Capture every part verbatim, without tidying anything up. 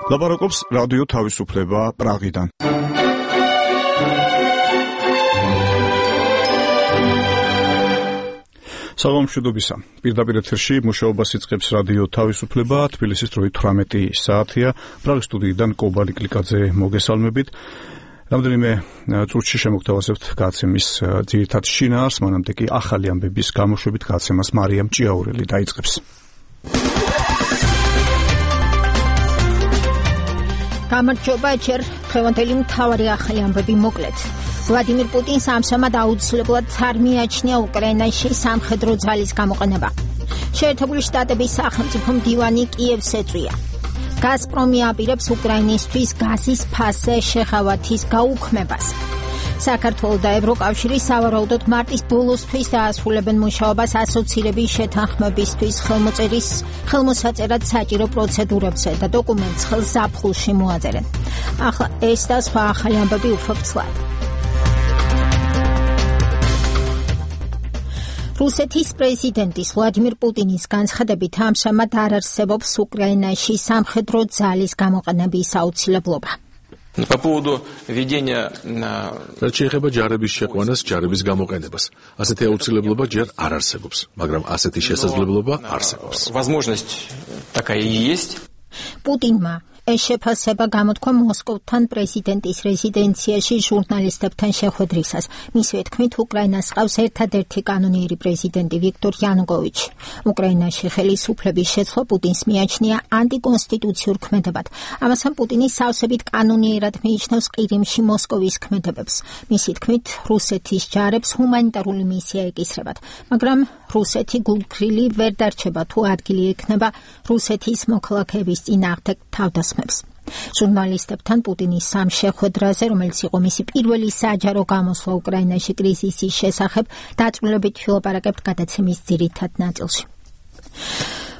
ლაპარაკობს რადიო თავისუფლება პრაღიდან. საღამომშვიდობისა. პირდაპირ ეთერში მუშაობას იწყებს რადიო თავისუფლება, თბილისის დროით თვრამეტი საათია. პრაღის სტუდიიდან კობალი კლიკაძე მოგესალმებით. რამდენიმე წუთში შემოგთავაზებთ გადაცემის ძირითად შინაარსს, მანამდე კი ახალი ამბების გამოშვებით გადაცემას მარიამ ჭიაურელი დაიწყებს. გამარჯობა, ჯერ დღევანდელი მთავარი ახალი ამბები მოკლედ. ვლადიმირ პუტინს ამჟამად აუცილებლად არ მიაჩნია უკრაინაში სამხედრო ძალის გამოყენება. შეერთებული შტატების სახელმწიფო მდივანი კიევს ეწვია. გაზპრომი აპირებს უკრაინისთვის გაზის ფასზე შეღავათის გაუქმებას. საქართველოს და ევროკავშირი სავარაუდოდ მარტის ბოლოსთვის დაასრულებენ მუშაობას ასოცირების შეთანხმებისთვის ხელმოწერის ხელმოსაწერად საჭირო პროცედურებზე და დოკუმენტს ხელს ზაფხულში მოაწერენ. ახლა ეს და სხვა ახალი ამბები უფრო ფცლად. რუსეთის პრეზიდენტის ვლადიმირ პუტინის განცხადებით ამჟამად არ არსებობს უკრაინაში სამხედრო ძალის გამოყენების აუცილებლობა. По поводу ведения რაც შეეხება ჯარების შეყვანას, ჯარების გამოყენებას. ასეთი აუცილებლობა ჯერ არ არსებობს, მაგრამ ასეთი შესაძლებლობა არსებობს. Возможность такая и есть. პუტინმა ეს შეფასება გამოთქვა მოსკოვთან პრეზიდენტის რეზიდენციაში ჟურნალისტებთან შეხვედრისას. მისივე თქმით, უკრაინას ყავს ერთადერთი კანონიერი პრეზიდენტი ვიქტორ იანუკოვიჩი. უკრაინაში ხელისუფლების შეცვლა პუტინს მიაჩნია ანტიკონსტიტუციურ ქმედებად. ამასთან პუტინი სავსებით კანონიერად მიიჩნევს ყირიმში მოსკოვის ქმედებებს. მისი თქმით, რუსეთის ჯარებს ჰუმანიტარული მისია ეკისრებათ, მაგრამ რუსეთი გულგრილი ვერ დარჩება თუ ადგილი ექნება რუსეთის მოქალაქეების წინააღმდეგ თავდასხმებს. ჟურნალისტებთან პუტინის სამ შეხვედრაზე, რომელიც იყო მისი პირველი საჯარო გამოსვლა უკრაინაში კრიზისის შესახებ, დაწვრილებით ვილაპარაკებთ გადაცემის ძირითად ნაწილში.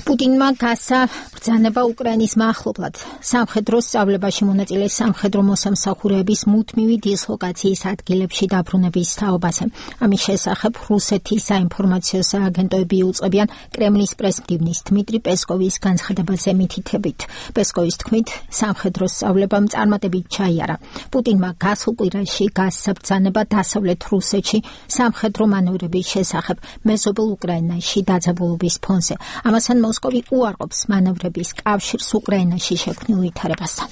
პუტინმა გასცა ბრძანება უკრაინის მახლობლად სამხედრო სწავლებაში მონაწილე სამხედრო მოსამსახურეების მუდმივი დისლოკაციის ადგილებში დაბრუნების თაობაზე. ამის შესახებ რუსეთის საინფორმაციო სააგენტოები უწყებიან კრემლის პრესმდივნის დმიტრი პესკოვის განცხადებაზე მითითებით. პესკოვის თქმით, სამხედრო სწავლებამ წარმატებით ჩაიარა. პუტინმა გასულ კვირაში გასცა ბრძანება დასავლეთ რუსეთში სამხედრო მანევრების შესახებ მეზობელ უკრაინაში დაძაბულობის ფონზე. ამასთან მოსკოვი უარყოფს მანევრების კავშირს უკრაინაში შექმნილ ვითარებასთან.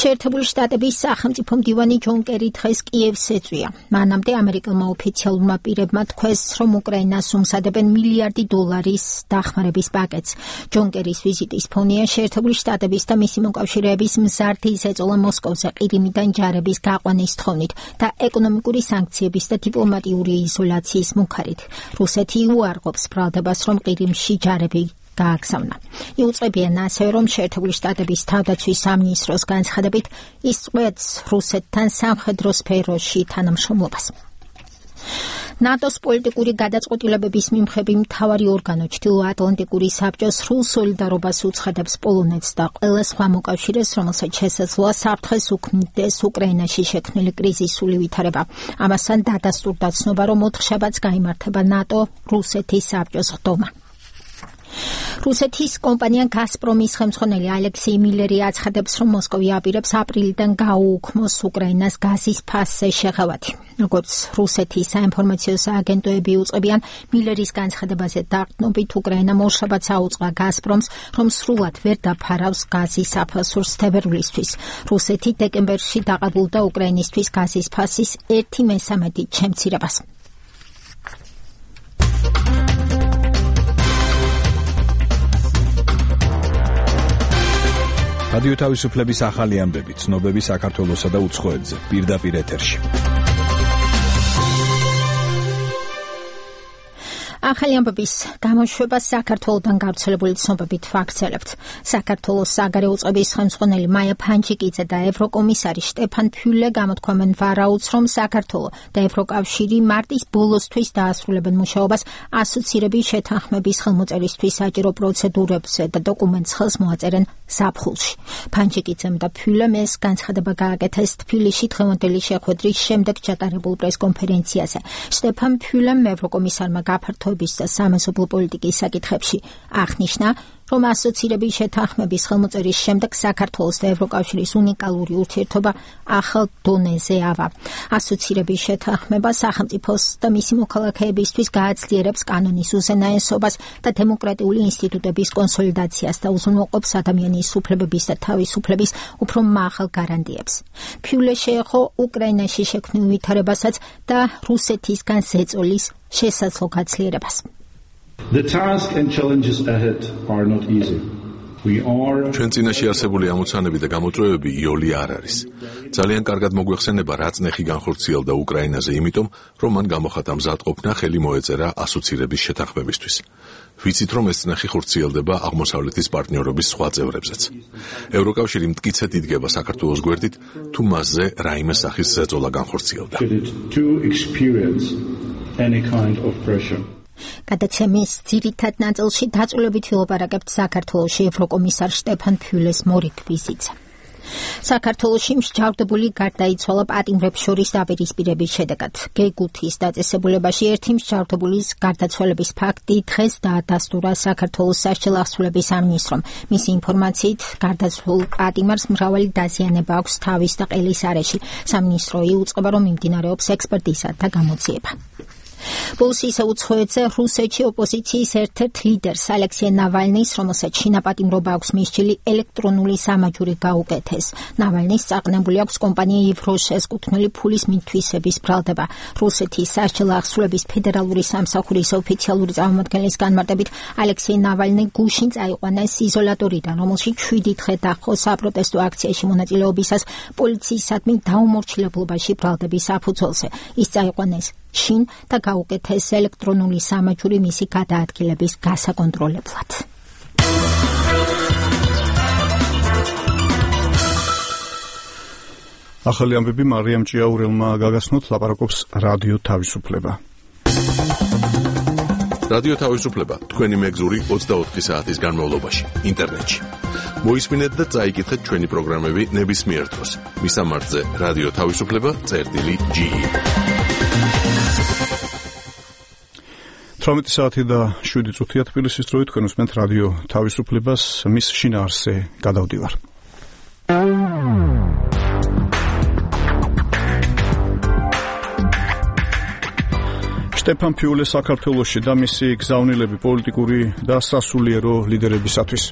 შეერთებული შტატების სახელმწიფო მდივანი ჯონ კერი დღეს კიევს ეწვია. მანამდე ამერიკელმა ოფიციალურმა პირებმა თქვეს, რომ უკრაინას უმზადებენ მილიარდი დოლარის დახმარების პაკეტს. ჯონ კერის ვიზიტის ფონია შეერთებული შტატების და მისი მოკავშირეების მზარდი ზეწოლა მოსკოვზე ყირიმიდან ჯარების გაყვანის თხოვნით და ეკონომიკური სანქციების და დიპლომატიური იზოლაციის მუქარით. რუსეთი უარყოფს ბრალდებას, რომ ყირიმში ჯარები გააგზავნა. იუწყებიან ასევე, რომ შეერთებული შტატების თავდაცვის სამინისტროს განცხადებით ის წყვეტს რუსეთთან სამხედრო სფეროში თანამშრომლობას. ნატოს პოლიტიკური გადაწყვეტილებების მიმხრები მთავარი ორგანო ჩრდილოატლანტიკური საბჭო სრულ სოლიდარობას უცხადებს პოლონეთს და ყველა სხვა მოკავშირეს, რომელსაც შესაძლოა საფრთხეს უქმნიდეს უკრაინაში შექმნილი კრიზისული ვითარება. ამასთან დადასტურდა ცნობა, რომ ოთხშაბათს გაიმართება ნატო რუსეთის საბჭოს ხდომა. რუსეთის კომპანია გაზპრომის ხელმძღვანელი ალექსეი მილერი აცხადებს, რომ მოსკოვი აპირებს აპრილიდან გაუუქმოს უკრაინას გაზის ფასზე შეღავათი. როგორც რუსეთის საინფორმაციო სააგენტოები უწყებიან, მილერის განცხადებაზე დაყრდნობით უკრაინა ორშაბათს აუწყა გაზპრომს, რომ სრულად ვერ დაფარავს გაზის საფასურს თებერვლისთვის. რუსეთი დეკემბერში დაყრდნობდა უკრაინისთვის გაზის ფასის ერთი მესამედით შემცირებას. რადიო თავისუფლების ახალი ამბები, ცნობები საქართველოსა და უცხოეთზე, პირდაპირ ეთერში. ახალი ამბების გამოშვება საქართველოდან გავრცელებული ცნობებით ვაგრძელებთ. საქართველოს საგარეო წყების ხელმძღვანელი მაია ფანჯიკიძე და ევროკომისარი შტეფან ფიულე გამოთქვამენ ვარაუდს, რომ საქართველო და ევროკავშირი მარტის ბოლოსთვის დაასრულებენ მუშაობას ასოცირების შეთანხმების ხელმოწერისთვის საჭირო პროცედურებზე და დოკუმენტს ხელს მოაწერენ ზაფხულში. ფანჯიკიძემ და ფიულემ ეს განცხადება გააკეთეს თბილისში დღევანდელი შეხვედრის შემდეგ ჩატარებულ პრესკონფერენციაზე. შტეფან ფიულემ ევროკომისარმა გაფართოების განვითარების და სამეზობლო პოლიტიკის საკითხებში. აღნიშნა, რომ ასოცირების შეთანხმების ხელმოწერის შემდეგ საქართველოს და ევროკავშირის უნიკალური ურთიერთობა ახალ დონეზე ავა. ასოცირების შეთანხმება სახელმწიფოს და მისი მოქალაქეებისთვის გააძლიერებს კანონის უზენაესობას და დემოკრატიული ინსტიტუტების კონსოლიდაციას და უზრუნველყოფს ადამიანის უფლებების და თავისუფლების უფრო მაღალ გარანტიებს. ფიულე შეეხო უკრაინაში შექმნილ ვითარებასაც და რუსეთისგან ზეწოლის შესაძლო გაძლიერებას. The task and challenges ahead are not easy. We are ჩვენ წინაშე არსებული ამოცანები და გამოწვევები იოლი არ არის. ძალიან კარგად მოგვეხსენება რა წნეხი განხორციელდა უკრაინაზე, იმიტომ რომ მან გამოხატა მზადყოფნა ხელი მოეწერა ასოცირების შეთანხმებისთვის. ვიცით რომ ეს წნეხი ხორციელდება აღმოსავლეთის პარტნიორობის სხვა წევრებზეც. ევროკავშირი მტკიცედ იდგება საქართველოს გვერდით, თუ მასზე რაიმე სახის ზეწოლა განხორციელდა. to experience any kind of pressure. გადაცემის ძირითად ნაწილში დაწვრილებით ვილაპარაკებთ საქართველოში ევროკომისარ შტეფან ფიულეს მორიგ ვიზიტზე. საქართველოში მსჯავრდებული გარდაიცვალა პატიმრებს შორის დაპირისპირების შედეგად. გეგუთის დაწესებულებაში ერთი მსჯავრდებულის გარდაცვალების ფაქტი დღეს დაადასტურა საქართველოს სასჯელ ახსულების სამინისტრომ. მისი ინფორმაციით, გარდაცვლილ პატიმარს მრავალი დაზიანება აქვს თავის და ყელის არეში. სამინისტრო იუწყება, რომ მიმდინარეობს ექსპერტიზა და გამოძიება. ბოლოს ისე უცხოეთზე რუსეთში ოპოზიციის ერთ-ერთ ლიდერს ალექსეი ნავალნის, რომელსაც შინაპატიმრობა აქვს მისჯილი, ელექტრონული სამაჯური გაუკეთეს. ნავალნის წაყნებული აქვს კომპანია ივროშეს კუთვნილი ფულის მითვისების ბრალდება. რუსეთის სასჯელო ახსულების ფედერალური სამსახურის ოფიციალური წარმომადგენლის განმარტებით, ალექსეი ნავალნი გუშინ წაიყვანეს იზოლატორიდან, რომელშიც შვიდი დღე დაჰყო საპროტესტო აქციაში მონაწილეობისას პოლიციისადმი დაუმორჩილებლობაში ბრალდების საფუძველზე. ის წაიყვანეს შინ და გაუკეთეს ელექტრონული სამაჯური მისი გადაადგილების გასაკონტროლებლად. ახალი ამბები მარიამ ჭიაურელმა გაგაცნოთ, ლაპარაკობს რადიო თავისუფლება. რადიო თავისუფლება თქვენი მეგზური ოცდაოთხი საათის განმავლობაში ინტერნეტში. მოისმინეთ და წაიკითხეთ ჩვენი პროგრამები ნებისმიერ დროს. მისამართზე რადიო თავისუფლება წერტილი ჯი ი. თვრამეტი საათი და შვიდი წუთია თბილისის დროით, თქვენ უსმენთ რადიო თავისუფლებას, მის შინაარსზე გადავდივარ. შტეფან ფიულე საქართველოში და მისი გზავნილები პოლიტიკური და სასულიერო ლიდერებისათვის.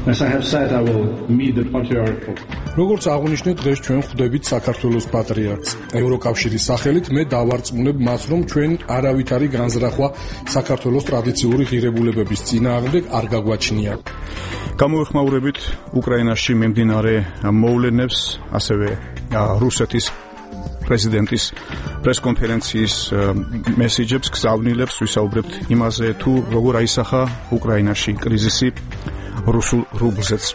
As I have said, I will meet the patriarch of როგორც აღნიშნე, დღეს ჩვენ ხვდებით საქართველოს პატრიარქს. ევროკავშირის სახელით მე დავარწმუნებ მას, რომ ჩვენ არავითარი განზრახვა საქართველოს ტრადიციული ღირებულებების წინააღმდეგ არ გაგვაჩნია. გამოვეხმაურებით უკრაინაში მიმდინარე მოვლენებს, ასევე რუსეთის პრეზიდენტის პრესკონფერენციის მესიჯებს, გზავნილებს, ვისაუბრებთ იმაზე, თუ როგორ აისახა უკრაინაში კრიზისი რუსულ რუბლზეც.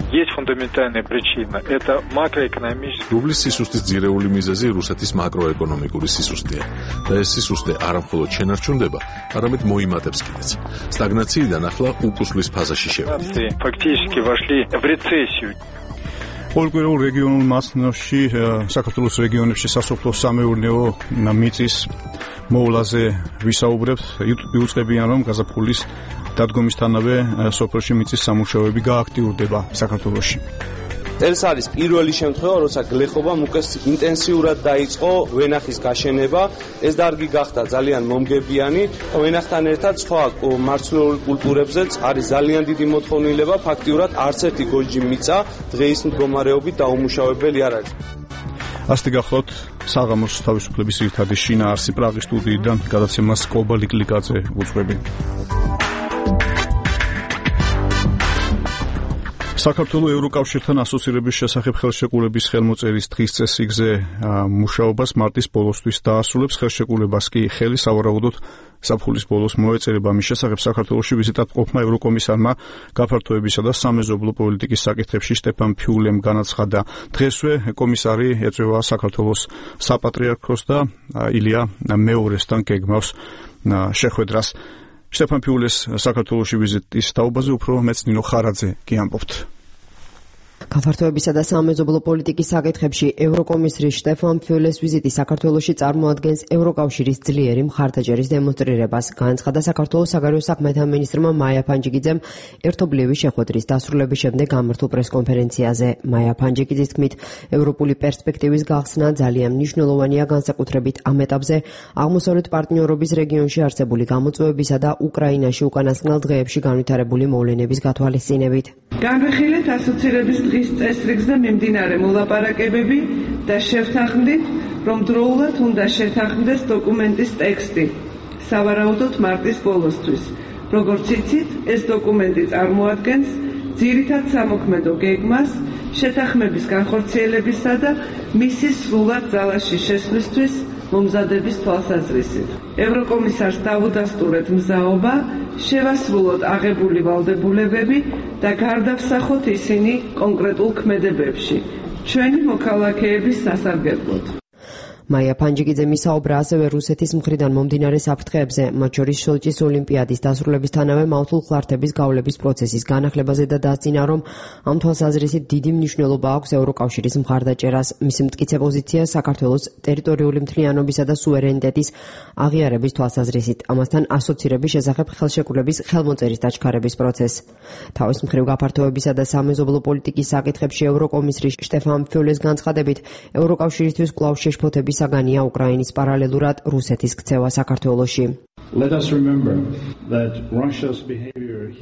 Есть фундаментальная причина. Это макроэкономическая. Რუბლის სისუსტის ძირეული მიზეზი რუსეთის მაკროეკონომიკური სისუსტეა. და ეს სისუსტე არა მხოლოდ შენარჩუნდება, არამედ მოიმატებს კიდეც. სტაგნაციიდან ახლა უკუსლის ფაზაში შევედით. Фактически вошли в рецессию. პოლიტიკურ რეგიონულ მასშტაბში საქართველოს რეგიონებში სასოფლო-სამეურნეო მიწის მოვლაზე ვისაუბრებთ. იუწყებიან, რომ გაზაფხულის დადგომისთანავე სოფელში მიწის სამუშაოები გააქტიურდება საქართველოში. ეს არის პირველი შემთხვევა, როცა გლეხობამ უკეს ინტენსიურად დაიწყო ვენახის გაშენება. ეს დარგი გახდა ძალიან მომგებიანი. ვენახთან ერთად სხვა მარცვლეული კულტურებზეც არის ძალიან დიდი მოთხოვნილება. ფაქტიურად არც ერთი გოჯი მიწა დღეის მდგომარეობით დაუმუშავებელი არ არის. ასეთი გახლავთ საღამოს თავისუფლების ერთადი შინაარსი პრაღის სტუდიიდან გადაცემას კობა ლიკლიკაძე უძღვები. საქართველოს ევროკავშირთან ასოცირების შესახებ ხელშეკრულების ხელმოწერის დღის წესრიგზე მუშაობას მარტის ბოლოსთვის დაასრულებს. ხელშეკრულებას კი ხელი სავარაუდოდ საფულის ბოლოს მოეწერება. მის შესახებ საქართველოში ვიზიტად ყოფნა ევროკომისარმა გაფართოებისა და სამეზობლო პოლიტიკის საკითხებში შტეფან ფიულემ განაცხადა. დღესვე კომისარი ეწევა საქართველოს საპატრიარქოს და ილია მეორესთან გეგმავს შეხვედრას. შტეფან ფიულეს საქართველოში ვიზიტის თაობაზე უფრო მეც ნინო ხარაძე კი ამბობთ. გაფართოებისა და სამეზობლო პოლიტიკის საკითხებში ევროკომისრის შტეფან ფიულეს ვიზიტი საქართველოში წარმოადგენს ევროკავშირის ძლიერი მხარდაჭერის დემონსტრირებას. განაცხადა საქართველოს საგარეო საქმეთა მინისტრმა მაია ფანჯიკიძემ ერთობლივი შეხვედრის დასრულების შემდეგ გამართულ პრესკონფერენციაზე. მაია ფანჯიკიძის თქმით, ევროპული პერსპექტივის გახსნა ძალიან მნიშვნელოვანია განსაკუთრებით ამ ეტაპზე აღმოსავლეთ პარტნიორობის რეგიონში არსებული გამოწვევებისა და უკრაინაში უკანასკნელ დღეებში განვითარებული მოვლენების გათვალისწინებით. განვიხილეთ ასოცირების დღის წესრიგს და მიმდინარე მოლაპარაკებები და შევთანხმდით, რომ დროულად უნდა შეთანხმდეს დოკუმენტის ტექსტი, სავარაუდოდ მარტის ბოლოსთვის. როგორც იცით, ეს დოკუმენტი წარმოადგენს ძირითად სამოქმედო გეგმას შეთანხმების განხორციელებისა და მისი სრულად ძალაში შესვლისთვის მომზადების თვალსაზრისით. ევროკომისარს დავუდასტურეთ მზაობა შევასრულოთ აღებული ვალდებულებები და გარდავსახოთ ისინი კონკრეტულ ქმედებებში, ჩვენი მოქალაქეების სასარგებლოდ. მაია ფანჯიკიძემ ისაუბრა ასევე რუსეთის მხრიდან მომდინარე საფრთხეებზე, მათ შორის სოჭის ოლიმპიადის დასრულებისთანავე მავთულ ხლართების გავლების პროცესის განახლებაზე და დასძინა, რომ ამ თვალსაზრისით დიდი მნიშვნელობა აქვს ევროკავშირის მხარდაჭერას. მისი მტკიცე პოზიცია საქართველოს ტერიტორიული მთლიანობისა და სუვერენიტეტის აღიარების თვალსაზრისით, ამასთან ასოცირების შესახებ ხელშეკრულების ხელმოწერის დაჩქარების პროცესს. თავის მხრივ გაფართოებისა და სამეზობლო პოლიტიკის საკითხებში ევროკომისრის შტეფან ფიულეს განცხადებით, ევროკავშირისთვის კვლავ შეშფოთების საგანია უკრაინის პარალელურად რუსეთის ქცევა საქართველოში.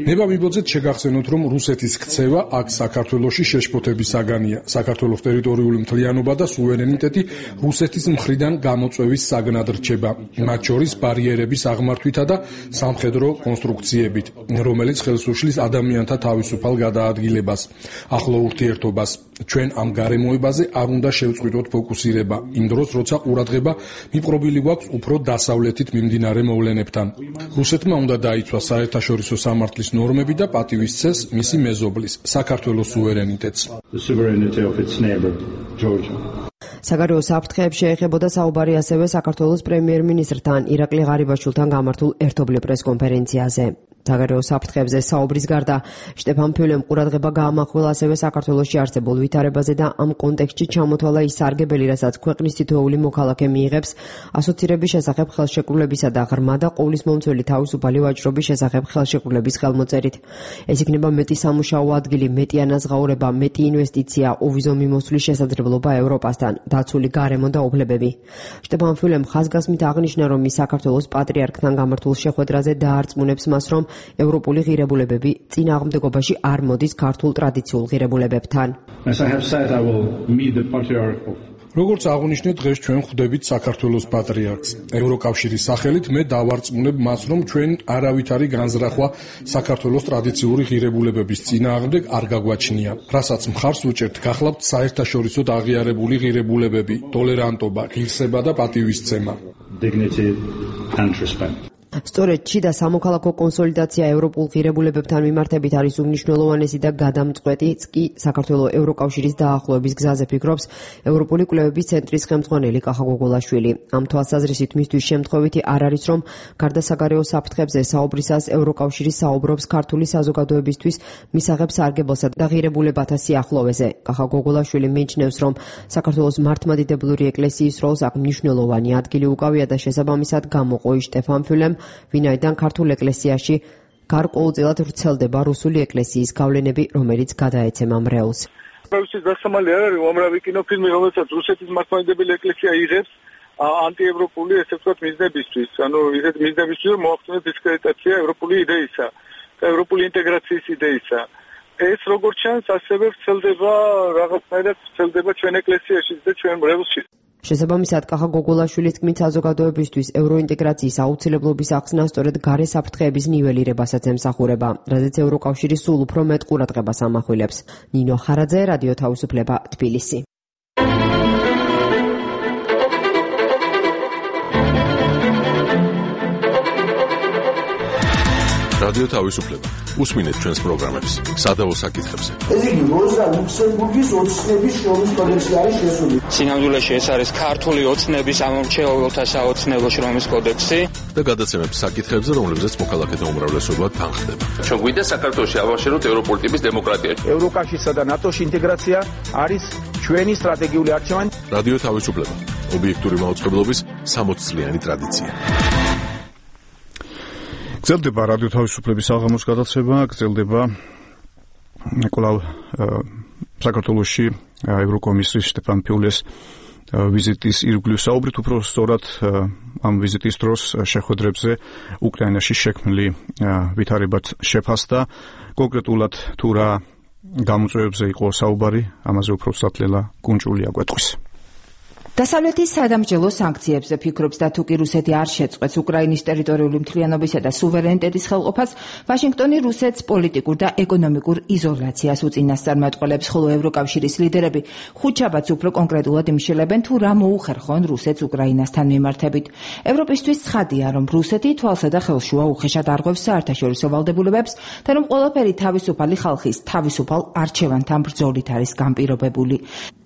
ნება მიბოძეთ შეგახსენოთ, რომ რუსეთის ქცევა აქ საქართველოში შეშფოთების საგანია. საქართველოს ტერიტორიული მთლიანობა და სუვერენიტეტი რუსეთის მხრიდან გამოწვევის საგნად რჩება, მათ შორის ბარიერების აღმართვითა და სამხედრო კონსტრუქციებით, რომელიც ხელს უშლის ადამიანთა თავისუფალ გადაადგილებას, ახლო ურთიერთობას. ჩვენ ამ გარემოებაზე არ უნდა შევწყვიტოთ ფოკუსირება, იმ დროს, როცა ყურადღება მიპყრობილი გვაქვს უფრო დასავლეთით მიმდინარე მოვლენებთან. რუსეთმა უნდა დაიცვა საერთაშორისო სამართლის ნორმები და პატივისცეს მისი მეზობლის, საქართველოს სუვერენიტეტს. საგარეო საფრთხეებში ეხებოდა საუბარი ასევე საქართველოს პრემიერ-მინისტრთან ირაკლი ღარიბაშვილთან გამართულ ერთობლივ პრესკონფერენციაზე. საგარეო საფრთხეებზე საუბრის გარდა შტეფან ფიულემ ყურადღება გაამახვილა ასევე საქართველოში არსებულ ვითარებაზე და ამ კონტექსტში ჩამოთვალა ის სარგებელი, რასაც ქვეყნის თითოეული მოქალაქე მიიღებს ასოცირების შესახებ ხელშეკრულებისა და ღრმა და ყოვლისმომცველი თავისუფალი ვაჭრობის შესახებ ხელშეკრულების ხელმოწერით. ეს იქნება მეტი სამუშაო ადგილი, მეტი ანაზღაურება, მეტი ინვესტიცია, უვიზო მიმოსვლის შესაძლებლობა ევროპასთან, დაცული გარემო და უფლებები. შტეფან ფიულემ ხაზგასმით აღნიშნა, რომ ის საქართველოს პატრიარქთან გამართულ შეხვედრაზე დაარწმუნებს მას, რომ ევროპული ღირებულებები წინააღმდეგობაში არ მოდის ქართულ ტრადიციულ ღირებულებებთან. როგორც აღნიშნეთ, დღეს ჩვენ ხვდებით საქართველოს პატრიარქს. ევროკავშირის სახელით მე დავარწმუნებ მას, რომ ჩვენ არავითარი განზრახვა საქართველოს ტრადიციული ღირებულებების წინააღმდეგ არ გაგვაჩნია. რასაც მხარს უჭერთ, გახლავთ საერთაშორისო აღიარებული ღირებულებები, ტოლერანტობა, ღირსება და პატივისცემა. სწორედ შიდა სამოქალაქო კონსოლიდაცია ევროპულ ღირებულებებთან მიმართებით არის უმნიშვნელოვანესი და გადამწყვეტიც კი საქართველოს ევროკავშირის დაახლოების გზაზე, ფიქრობს ევროპული კვლევების ცენტრის ხელმძღვანელი კახა გოგოლაშვილი. ამ თვალსაზრისით მისთვის შემთხვევითი არ არის, რომ გარდა საგარეო საფრთხებზე საუბრისას ევროკავშირი საუბრობს ქართული საზოგადოებისთვის მისაღებ სარგებელსა და ღირებულებათა სიახლოვეზე. კახა გოგოლაშვილი მიიჩნევს, რომ საქართველოს მართლმადიდებლური ეკლესიის როლს აქ მნიშვნელოვანი ადგილი უკავია და შესაბამისად გამოყო შტეფან ფიულემ, ვინაიდან ქართულ ეკლესიაში გარკვეულწილად ვრცელდება რუსული ეკლესიის გავლენები, რომელიც გადაეცემა მრევლს. პროვინციის დასამალი არ არის უამრავი კინოფილმი, რომელსაც რუსეთის მართლმადიდებელი ეკლესია იღებს ანტიევროპული, ესე ვთქვათ, მიზნებისთვის. ანუ ისეთ მიზნებისთვის, რომ მოახდინოს დისკრედიტაცია ევროპული იდეისა და ევროპული ინტეგრაციის იდეისა. ეს როგორც ჩანს, ასევე ვრცელდება რაღაცნაირად ვრცელდება ჩვენ ეკლესიაშიც და ჩვენ მრევლში. შესაბამისად, კახა გოგოლაშვილის თქმით, საზოგადოებისთვის ევროინტეგრაციის აუცილებლობის ახსნა სწორედ გარე საფრთხეების ნიველირებასაც ემსახურება, რადგან ევროკავშირი სულ უფრო მეტ ყურადღებას ამახვილებს. ნინო ხარაძე, რადიო თავისუფლება, თბილისი. რადიო თავისუფლება. უსმინეთ ჩვენს პროგრამებს სადავო საკითხებზე. ეს იგი როზა ლუქსემბურგის ოცნების შრომის კოდექსი არის შესული. სინამდვილეში ეს არის ქართული ოცნების ამომრჩეველთა საოცნებო შრომის კოდექსი და გადაცემებს საკითხებზე, რომლებზეც მოქალაქეთა უმრავლესობა თანხდება. ჩვენ გვინდა საქართველოში ავაშენოთ ევროპული ტიპის დემოკრატია. ევროკავშირსა და ნატოში ინტეგრაცია არის ჩვენი სტრატეგიული არჩევანი. რადიო თავისუფლება. ობიექტური მაუწყებლობის სამოც წლიანი ტრადიცია. გრძელდება რადიო თავისუფლების საღამოს გადაცემა, გრძელდება კვლავ საქართველოში ევროკომისრის შტეფან ფიულეს ვიზიტის ირგვლივ საუბრით, უფრო სწორად ამ ვიზიტის დროს შეხვედრებზე უკრაინაში შექმნილი ვითარებაც შეფასდა. კონკრეტულად თუ რა გამოწვევებზე იყო საუბარი, ამაზე უფრო სათლელა კუნჭული აგვეტყვის. დასავლეთის სადამსჯელო სანქციებზე ფიქრობს და თუ კი რუსეთი არ შეწყვეტს უკრაინის ტერიტორიული მთლიანობისა და სუვერენიტეტის ხელყოფას, ვაშინგტონი რუსეთს პოლიტიკურ და ეკონომიკურ იზოლაციას უწინასწარმეტყველებს, ხოლო ევროკავშირის ლიდერები ხუთშაბათს უფრო კონკრეტულად იმშელებენ, თუ რა მოუხერხონ რუსეთს უკრაინასთან მიმართებით. ევროპისთვის ცხადია, რომ რუსეთი თვალსა და ხელშუა უხეშად არღვევს საერთაშორისო ვალდებულებებს და რომ ყველაფერი თავისუფალი ხალხის თავისუფალ არჩევანთან ბრძოლით არის განპირობებული.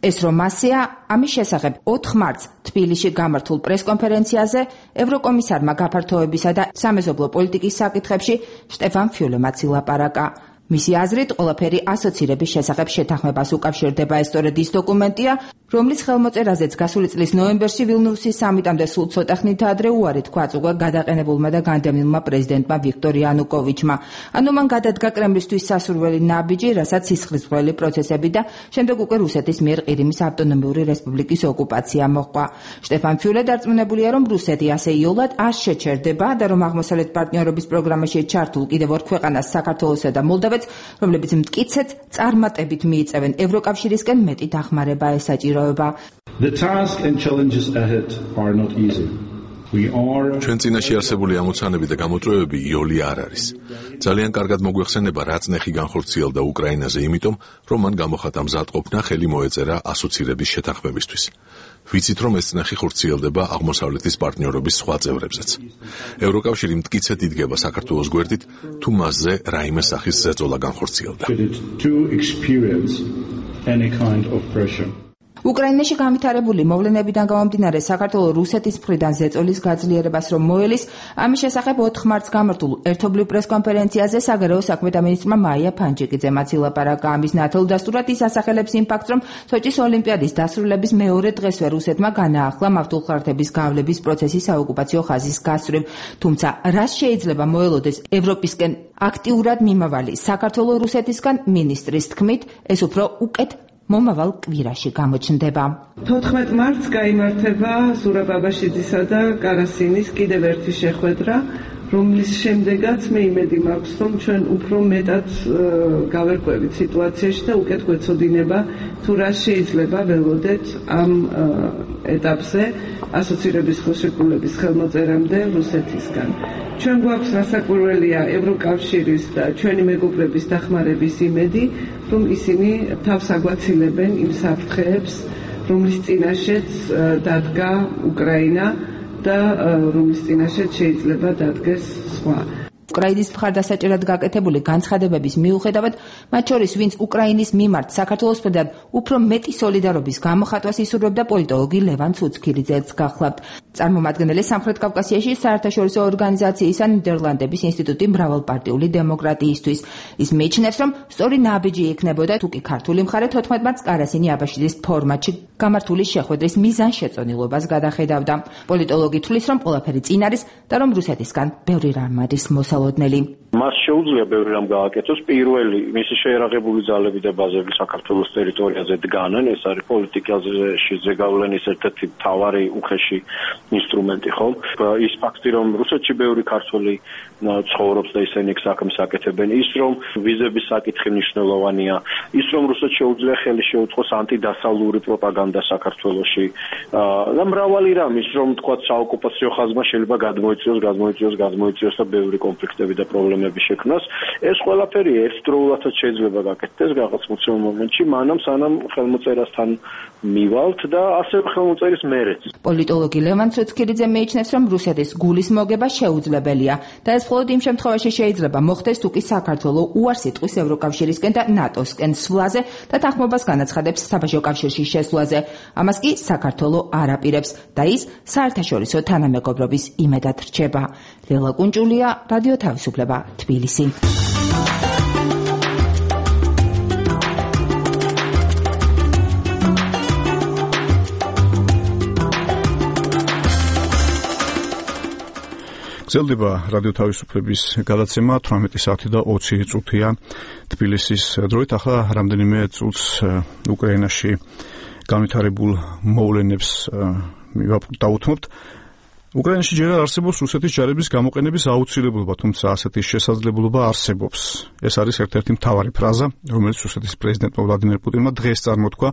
ეს რომ მასია, ამის შესახებ ოთხ მარტს თბილისში გამართულ პრესკონფერენციაზე ევროკომისარმა გაფართოებისა და სამეზობლო პოლიტიკის საკითხებში შტეფან ფიულემაც ილაპარაკა. მისი აზრით, ყველაფერი ასოცირების შესახებ შეთანხმებას უკავშირდება. ეს სწორედ ის დოკუმენტია, რომლის ხელმოწერაზეც გასული წლის ნოემბერში ვილნიუსის სამიტამდე სულ ცოტა ხნით ადრე უარი თქვა უკვე გადაყენებულმა და განდევნილმა პრეზიდენტმა ვიქტორ იანუკოვიჩმა. ანუ მან გადადგა კრემლისთვის სასურველი ნაბიჯი, რასაც სისხლისღვრელი პროცესები და შემდეგ უკვე რუსეთის მიერ ყირიმის ავტონომიური რესპუბლიკის ოკუპაცია მოჰყვა. შტეფან ფიულე დარწმუნებულია, რომ რუსეთი ასე იოლად არ შეჩერდება და რომ აღმოსავლეთ პარტნიორობის პროგრამაში ჩართულ კიდევ ორ ქვეყანას, საქართველოსა და მოლდოვეთს, რომლებიც მტკიცედ წარმატებით მიიწევენ ევროკავშირისკენ მეტი დახმარება ესაჭიროება. The task and challenges ahead are not easy. We are ჩვენ წინაშე არსებული ამოცანები და გამოწვევები იოლი არ არის. ძალიან კარგად მოგვეხსენება, რა წნეხი განხორციელდა უკრაინაზე, იმიტომ რომ მან გამოხატა მზადყოფნა ხელი მოეწერა ასოცირების შეთანხმებისთვის. ვიცით, რომ ეს წნეხი ხორციელდება აღმოსავლეთის პარტნიორობის სხვა წევრებზეც. ევროკავშირი მტკიცედ იდგება საქართველოს გვერდით, თუ მასზე რაიმე სახის ზეწოლა განხორციელდა. უკრაინაში განვითარებული მოვლენებიდან გამომდინარე, საქართველოს რუსეთის მხრიდან ზეწოლის გაძლიერებას რომ მოელის, ამის შესახებ ოთხ მარტს გამართულ ერთობლივ პრესკონფერენციაზე საგარეო საქმეთა მინისტრმა მაია ფანჯიკიძემაც ილაპარაკა. ამის ნათელდასტურად ის ასახელებს იმ ფაქტს, რომ სოჭის ოლიმპიადის დასრულების მეორე დღესვე რუსეთმა განაახლა მავთულხარდების გავლების პროცესის საოკუპაციო ხაზის გასწვრივ. თუმცა რას შეიძლება მოელოდეს ევროპისკენ აქტიურად მიმავალი საქართველოს რუსეთისგან, მინისტრის თქმით, ეს უფრო უკეთ მომავალ კვირაში გამოჩნდება. თოთხმეტ მარტს გაიმართება ზურაბ აბაშიძისა და კარასინის კიდევ ერთი შეხვედრა, რომლის შემდეგაც მე იმედი მაქვს, რომ ჩვენ უფრო მეტად გავერკვევით სიტუაციაში და უკეთ გვეცოდინება, თუ რა შეიძლება ველოდეთ ამ ეტაპზე ასოცირების ხელშეკრულების ხელმოწერამდე რუსეთისგან. ჩვენ გვაქვს რასაკვირველია ევროკავშირის და ჩვენი მეგობრების დახმარების იმედი, რომ ისინი თავს აგვაცილებენ იმ საფრთხეებს, რომლის წინაშეც დადგა უკრაინა და რომლის წინაშეც შეიძლება დადგეს სხვა. უკრაინის მხარდასაჭერად გაკეთებული განცხადებების მიუხედავად, მათ შორის ვინც უკრაინის მიმართ საქართველოს მხრიდან უფრო მეტი სოლიდარობის გამოხატვას ისურვებდა, პოლიტოლოგი ლევან ცუცქირიძეც გახლავთ. წარმომადგენელი სამხრეთ კავკასიაში საერთაშორისო ორგანიზაციისა ნიდერლანდების ინსტიტუტი მრავალპარტიული დემოკრატიისთვის. ის მიიჩნევს, რომ სწორი ნაბიჯი იქნებოდა, თუ კი ქართული მხარე თოთხმეტ მარტს კარასინი აბაშიძის ფორმატში გამართული შეხვედრის მიზანშეწონილობას გადახედავდა. პოლიტოლოგი თვლის, რომ ყველაფერი წინ არის და რომ რუსეთისგან ბევრი რამ არის მოსალოდნელი. მას შეუძლია ბევრი რამ გააკეთოს. პირველი, მისი შეერაღებული ძალები და ბაზები საქართველოს ტერიტორიაზე დგანან, ეს არის პოლიტიკაზე ზეგავლენის ერთ-ერთი მთავარი უხეში ინსტრუმენტი, ხომ? ის ფაქტი, რომ რუსეთში ბევრი ქართველი ცხოვრობს და ისინი საქმეს აკეთებენ, ის რომ ვიზების საკითხი მნიშვნელოვანია, ის რომ რუსეთს შეუძლია ხელი შეუწყოს ანტიდასავლური პროპაგანდა საქართველოში და მრავალი რამ, ის რომ თქვა საოკუპაციო ხაზმა შეიძლება გადმოიწიოს, გადმოიწიოს, გადმოიწიოს და ბევრი კონფლიქტები და პრობლემები შექმნას. ეს ყველაფერი ერთდროულადაც შეიძლება გაკეთდეს რაღაც მოცემ მომენტში, მანამ სანამ ხელმოწერასთან მივალთ და ასევე ხელმოწერის მერეც. პოლიტოლოგი ლევან ცუცქირიძე მიიჩნევს, რომ რუსეთის გულის მოგება შეუძლებელია და ეს მხოლოდ იმ შემთხვევაში შეიძლება მოხდეს, თუ კი საქართველო უარს იტყვის ევროკავშირისკენ და ნატოსკენ სვლაზე და თანხმობას განაცხადებს საბაჟო კავშირში შესვლაზე. ამას კი საქართველო არ აპირებს და ის საერთაშორისო თანამეგობრობის იმედად რჩება. ლელა კუნჭულია, რადიო თავისუფლება, თბილისი. გრძელდება რადიო თავისუფლების გადაცემა თვრამეტი საათი და ოცი წუთია თბილისის დროით. ახლა რამდენიმე წუთს უკრაინაში განვითარებულ მოვლენებს დავუთმობთ. უკრაინაში ჯერ არ არსებობს რუსეთის ჯარების გამოყენების აუცილებლობა, თუმცა ასეთი შესაძლებლობა არსებობს. ეს არის ერთ-ერთი მთავარი ფრაზა, რომელიც რუსეთის პრეზიდენტმა ვლადიმერ პუტინმა დღეს წარმოთქვა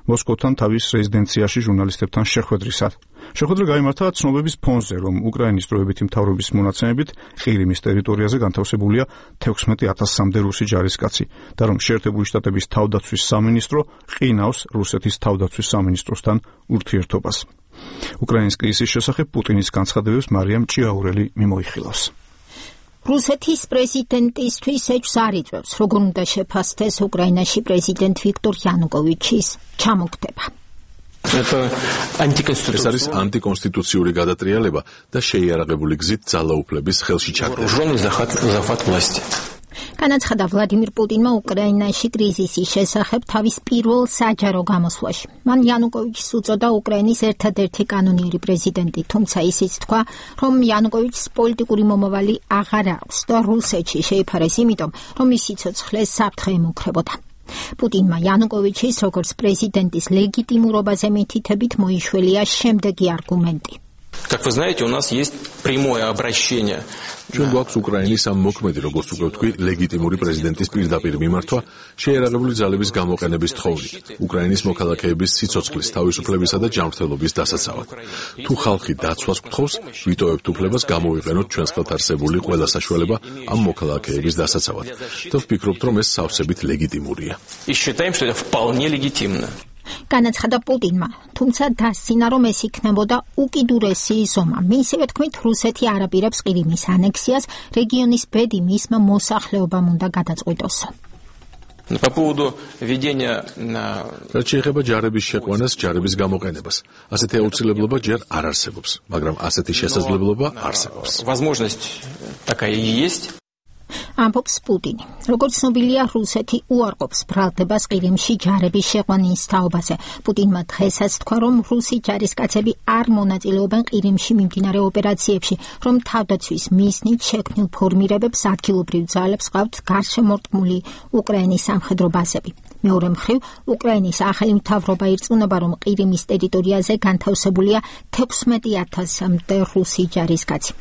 მოსკოვთან თავის რეზიდენციაში ჟურნალისტებთან შეხვედრისას. შეხვედრა გაიმართა ცნობების ფონზე, რომ უკრაინის დროებითი მთავრობის მონაცემებით ყირიმის ტერიტორიაზე განთავსებულია თექვსმეტი ათასამდე რუსი ჯარისკაცი და რომ შეერთებული შტატების თავდაცვის სამინისტრო ყინავს რუსეთის თავდაცვის სამინისტროსთან ურთიერთობას. უკრაინის კრიზისის შესახებ პუტინის განცხადებებს მარიამ ჭიაურელი მიმოიხილავს. რუსეთის პრეზიდენტისთვის ეჭვს არ იწვევს, როგორ უნდა შეფასდეს უკრაინაში პრეზიდენტ ვიქტორ იანუკოვიჩის ჩამოგდება. ეს არის ანტიკონსტიტუციური გადატრიალება და შეიარაღებული გზით ძალაუფლების ხელში ჩაგდება. განაცხადა ვლადიმირ პუტინმა უკრაინაში კრიზისის შესახებ თავის პირველ საჯარო გამოსვლაში. მან იანუკოვიჩს უწოდა უკრაინის ერთადერთი კანონიერი პრეზიდენტი, თუმცა ისიც თქვა, რომ იანუკოვიჩს პოლიტიკური მომავალი აღარ აქვს და რუსეთში შეიფარეს იმიტომ, რომ ის სიცოცხლეს საფრთხე ემუქრებოდა. პუტინმა იანუკოვიჩის როგორც პრეზიდენტის ლეგიტიმურობაზე მითითებით მოიშველია შემდეგი არგუმენტი. Как вы знаете, у нас есть прямое обращение. ჩვენ გვაქვს უკრაინის ამ მოქმედი, როგორც უკვე ვთქვი, ლეგიტიმური პრეზიდენტის პირდაპირ მიმართვა შეიარაღებული ძალების გამოყენების თხოვნით, უკრაინის მოქალაქეების სიცოცხლის, თავისუფლებისა და ჯანმრთელობის დასაცავად. თუ ხალხი დაცვას გთხოვს, ვიტოვებთ უფლებას გამოვიყენოთ ჩვენს ხელთ არსებული ყველა საშუალება ამ მოქალაქეების დასაცავად. და ვფიქრობთ, რომ ეს სავსებით ლეგიტიმურია. И считаем, что это вполне легитимно. განაცხადა პუტინმა, თუმცა დასცინა, რომ ეს იქნებოდა უკიდურესი ზომა. მისივე თქმით, რუსეთი არ აპირებს ყირიმის ანექსიას, რეგიონის ბედი მისმა მოსახლეობამ უნდა გადაწყვიტოს. По поводу ведения რაც შეეხება ჯარების შეყვანას, ჯარების გამოყენებას, ასეთი აუცილებლობა ჯერ არ არსებობს, მაგრამ ასეთი შესაძლებლობა არსებობს. Возможность такая и есть. ამბობს პუტინი. როგორც ცნობილია, რუსეთი უარყოფს ბრალდებას ყირიმში ჯარების შეყვანის თაობაზე. პუტინმა დღესაც თქვა, რომ რუსი ჯარისკაცები არ მონაწილეობენ ყირიმში მიმდინარე ოპერაციებში, რომ თავდაცვის მიზნით შექმნილ ფორმირებებს ადგილობრივ ძალებს ყავთ გარშემორტყმული უკრაინის სამხედრო ბაზები. მეორე მხრივ, უკრაინის ახალი მთავრობა ირწმუნება, რომ ყირიმის ტერიტორიაზე განთავსებულია თექვსმეტი ათასამდე რუსი ჯარისკაცი.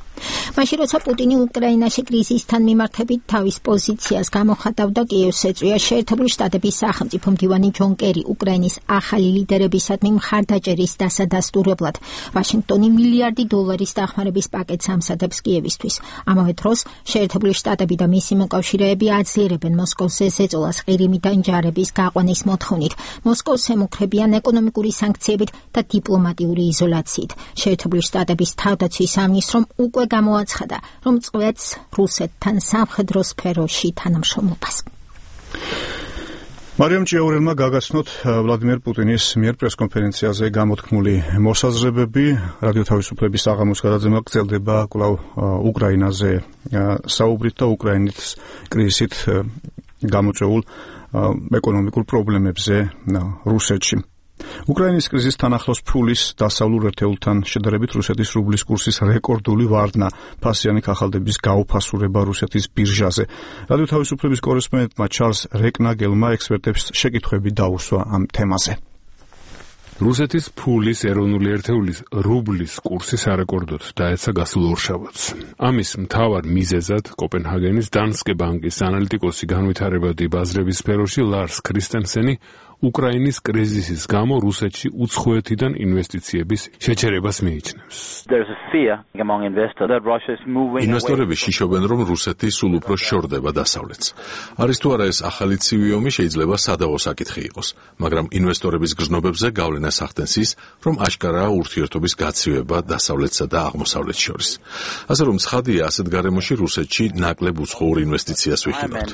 მაშინ როცა პუტინი უკრაინაში კრიზისთან მიმართებით თავის პოზიციას გამოხატავდა, კიევს ეწვია შეერთებული შტატების სახელმწიფო მდივანი ჯონ კერი უკრაინის ახალი ლიდერებისადმი მხარდაჭერის დასადასტურებლად. ვაშინგტონი მილიარდი დოლარის დახმარების პაკეტს ამზადებს კიევისთვის. ამავე დროს შეერთებული შტატები და მისი მოკავშირეები აძლიერებენ მოსკოვს ზეწოლას ყირიმიდან ჯარების გაყვანის მოთხოვნით. მოსკოვს ემუქრებიან ეკონომიკური სანქციებით და დიპლომატიური იზოლაციით. შეერთებული შტატების თავდაცვის სამინისტრომ უკვე გამოაცხადა, რომ წვეთს რუსეთთან სამხედრო სფეროში თანამშრომლობას. მარიამ ჭიაურელმა გაგაცნოთ ვლადიმერ პუტინის მიერ პრესკონფერენციაზე გამოთქმული მოსაზრებები. რადიო თავისუფლების საღამოს გადაცემა გრძელდება კვლავ უკრაინაზე საუბრით და უკრაინის კრიზისით გამოწვეულ ეკონომიკურ პრობლემებზე რუსეთში. უკრაინის კრიზისთან ახლოს ფულის დასავლურ ერთეულთან შედარებით რუსეთის რუბლის კურსის რეკორდული ვარდნა, ფასიანი ქაღალდების გაუფასურება რუსეთის ბირჟაზე. რადიო თავისუფლების კორესპონდენტმა ჩარლზ რეკნაგელმა ექსპერტებს შეკითხვები დაუსვა ამ თემაზე. რუსეთის ფულის ეროვნული ერთეულის რუბლის კურსი სარეკორდოდ დაეცა გასულ ორშაბათს. ამის მთავარ მიზეზად კოპენჰაგენის დანსკე ბანკის ანალიტიკოსი განვითარებადი ბაზრების სფეროში ლარს ქრისტენსენი უკრაინის კრიზისის გამო რუსეთში უცხოეთიდან ინვესტიციების შეჩერებას მიიჩნევს. ინვესტორები შიშობენ, რომ რუსეთი სულ უფრო შორდება დასავლეთს. არის თუ არა ეს ახალი ცივი ომი შეიძლება სადავო საკითხი იყოს, მაგრამ ინვესტორების გრძნობებზე გავლენას ახდენს ის, რომ აშკარაა ურთიერთობის გაცივება დასავლეთსა და აღმოსავლეთს შორის. ასე რომ ცხადია, ასეთ გარემოში რუსეთში ნაკლებ უცხოურ ინვესტიციას ვიხილავთ.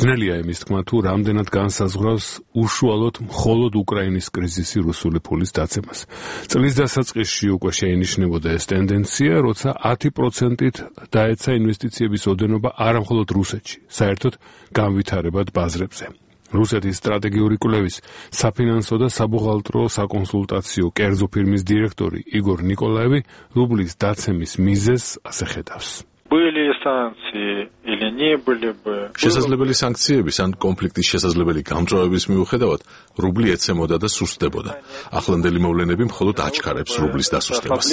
ძნელია იმის თქმა, თუ რამდენად განსაზღვრავს უშუალოდ მხოლოდ უკრაინის კრიზისი რუსული ფულის დაცემას. წლის დასაწყისში უკვე შეინიშნებოდა ეს ტენდენცია, როცა ათი პროცენტით დაეცა ინვესტიციების ოდენობა არამხოლოდ რუსეთში, საერთოდ განვითარებად ბაზრებზე. რუსეთის სტრატეგიული კვლევის საფინანსო და საბუღალტრო საკონსულტაციო კერძო ფირმის დირექტორი იგორ ნიკოლაევი რუბლის დაცემის მიზეზს ასე ხედავს. შესაძლებელი სანქციების ან კონფლიქტის შესაძლებელი გამწვავების მიუხედავად, რუბლი ეცემოდა და სუსტდებოდა. ახლანდელი მოვლენები მხოლოდ აჩქარებს რუბლის დასუსტებას.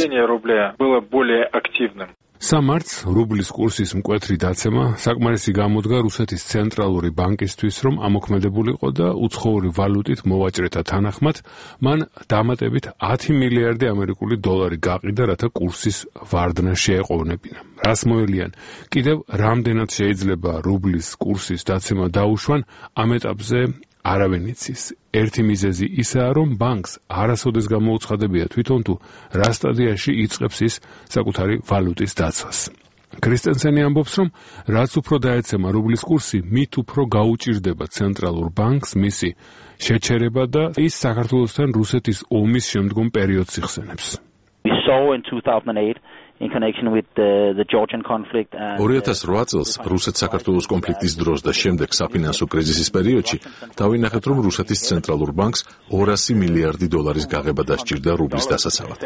სამართს რუბლის კურსის მკვეთრი დაცემა საკმარისი გამოდგა რუსეთის ცენტრალური ბანკისთვის, რომ ამოქმედებულიყო და უცხოური ვალუტით მოვაჭრეთა თანახმად მან დამატებით ათი მილიარდი ამერიკული დოლარი გაყიდა, რათა კურსის ვარდნა შეეყოვნებინა. რას მოელიან? კიდევ რამდენად შეიძლება რუბლის კურსის დაცემა დაუშვან, ამ ეტაპზე არავინ იცის. ერთი მიზეზი ისაა, რომ ბანკს არასოდეს გამოუცხადებია თვითონ თუ რა სტადიაში იწყებს ის საკუთარი ვალუტის დაცვას. კრისტენსენი ამბობს, რომ რაც უფრო დაეცემა რუბლის კურსი, მით უფრო გაუჭირდება ცენტრალურ ბანკს მისი შეჩერება და ის საქართველოსთან რუსეთის ომის შემდგომ პერიოდს იხსენებს. ორი ათას რვა წელს რუსეთ-საქართველოს კონფლიქტის დროს და შემდეგ საფინანსო კრიზისის პერიოდში დავინახეთ, რომ რუსეთის ცენტრალურ ბანკს ორასი მილიარდი დოლარის გაღება დასჭირდა რუბლის დასაცავად.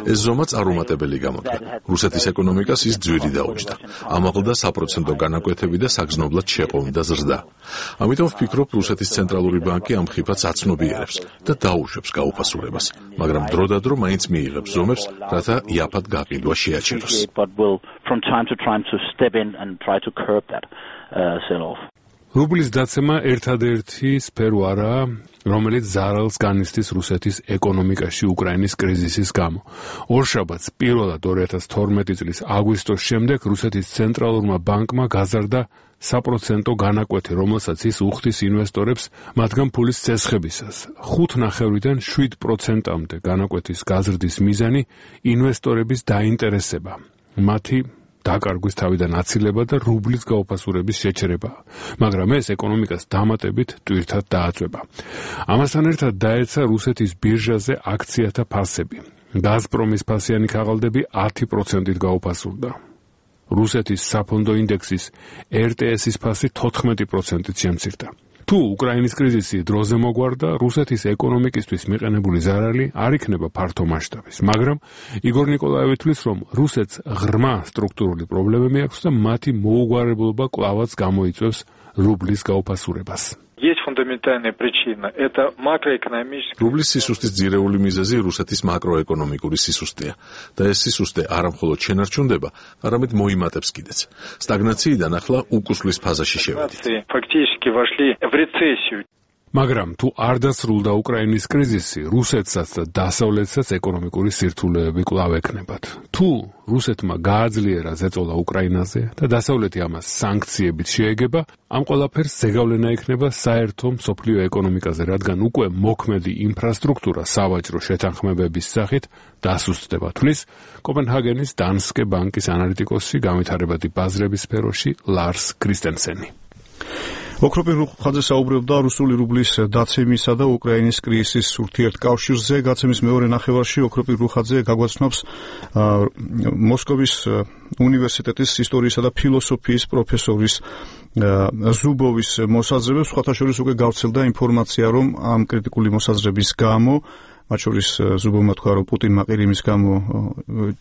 ეს ზომა წარუმატებელი გამოდგა. რუსეთის ეკონომიკას ის ძვირი დაუჯდა. ამაღლდა საპროცენტო განაკვეთები და საგრძნობლად შეყოვდა ზრდა. ამიტომ ვფიქრობ, რუსეთის ცენტრალური ბანკი ამ ხიფათს აცნობიერებს და დაუშვებს გაუფასურებას, მაგრამ დროდადრო მაინც მიიღებს ზომებს, რათა იაფად გაყიდვა შეაჩეროს. but will from time to time to step in and try to curb that uh, sell off. რუბლის დაცემა ერთადერთი სფერო არაა, რომელიც ზარალს განიცდის რუსეთის ეკონომიკაში უკრაინის კრიზისის გამო. ორშაბათს პირველად ორი ათას თორმეტი წლის აგვისტოს შემდეგ რუსეთის ცენტრალურმა ბანკმა გაზარდა საპროცენტო განაკვეთი, რომელსაც ის უხდის ინვესტორებს მათგან ფულის წესხებისას. ხუთ ნახევრიდან შვიდ პროცენტამდე განაკვეთის გაზრდის მიზანი ინვესტორების დაინტერესება, მათი დაკარგვის თავიდან აცილება და რუბლის გაუფასურების შეჩერება, მაგრამ ეს ეკონომიკას დამატებით ტვირთად დააწვება. ამასთან ერთად დაეცა რუსეთის ბირჟაზე აქციათა ფასები. გაზპრომის ფასიანი ქაღალდები ათი პროცენტით გაუფასურდა. რუსეთის საფონდო ინდექსის ერ ტე ეს-ის ფასი თოთხმეტი პროცენტით შემცირდა. თუ უკრაინის კრიზისი დროზე მოგვარდა, რუსეთის ეკონომიკისთვის მიყენებული ზარალი არ იქნება ფართო მასშტაბის, მაგრამ იგორ ნიკოლაევი თვლის, რომ რუსეთს ღრმა სტრუქტურული პრობლემები აქვს და მათი მოუგვარებლობა კვლავაც გამოიწვევს რუბლის გაუფასურებას. Есть фундаментальная причина – это макроэкономическая. რუბლის სისუსტის ძირეული მიზეზი რუსეთის მაკროეკონომიკური სისუსტეა და ეს სისუსტე არა მხოლოდ შენარჩუნდება, არამედ მოიმატებს კიდეც. სტაგნაციიდან ახლა უკუსლის ფაზაში შევედით. Фактически вошли в рецессию. მაგრამ თუ არ დასრულდა უკრაინის კრიზისი, რუსეთსაც და დასავლეთსაც ეკონომიკური სირთულეები კვლავ ექნებათ. თუ რუსეთმა გააძლიერა ზეწოლა უკრაინაზე და დასავლეთი ამას სანქციებით შეეგება, ამ ყველაფერს ზეგავლენა ექნება საერთო მსოფლიო ეკონომიკაზე, რადგან უკვე მოქმედი ინფრასტრუქტურა სავაჭრო შეთანხმებების სახით დასუსტდება, თვლის კოპენჰაგენის დანსკე ბანკის ანალიტიკოსი განვითარებადი ბაზრების სფეროში ლარს კრისტენსენი. ოქროპირ ხაძე საუბრობდა რუსული რუბლის დაცემისა და უკრაინის კრიზისის ურთიერთკავშირზე. გაცემის მეორე ნახევარში ოქროპირ ხაძე გაგვაცნობს მოსკოვის უნივერსიტეტის ისტორიისა და ფილოსოფიის პროფესორის ზუბოვის მოსაზრებებს. სხვათა შორის უკვე გავრცელდა ინფორმაცია, რომ ამ კრიტიკული მოსაზრების გამო, მათ შორის ზუბოვმა თქვა, რომ პუტინმა ყირიმის გამო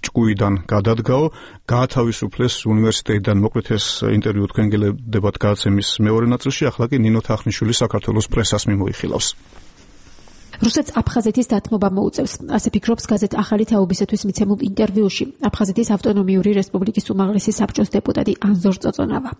ჭკუიდან გადადგაო, გაათავისუფლეს უნივერსიტეტიდან. მოკლედ ეს ინტერვიუ თქვენ გელედებათ გაცემის მეორე ნაწილში. ახლა კი ნინო თახნიშვილი საქართველოს პრესას მიმოიხილავს. რუსეთს აფხაზეთის დათმობა მოუწევს. ასე ფიქრობს გაზეთ ახალი თაობისათვის მიცემულ ინტერვიუში აფხაზეთის ავტონომიური რესპუბლიკის უმაღლესი საბჭოს დეპუტატი ანზორ წოწონავა.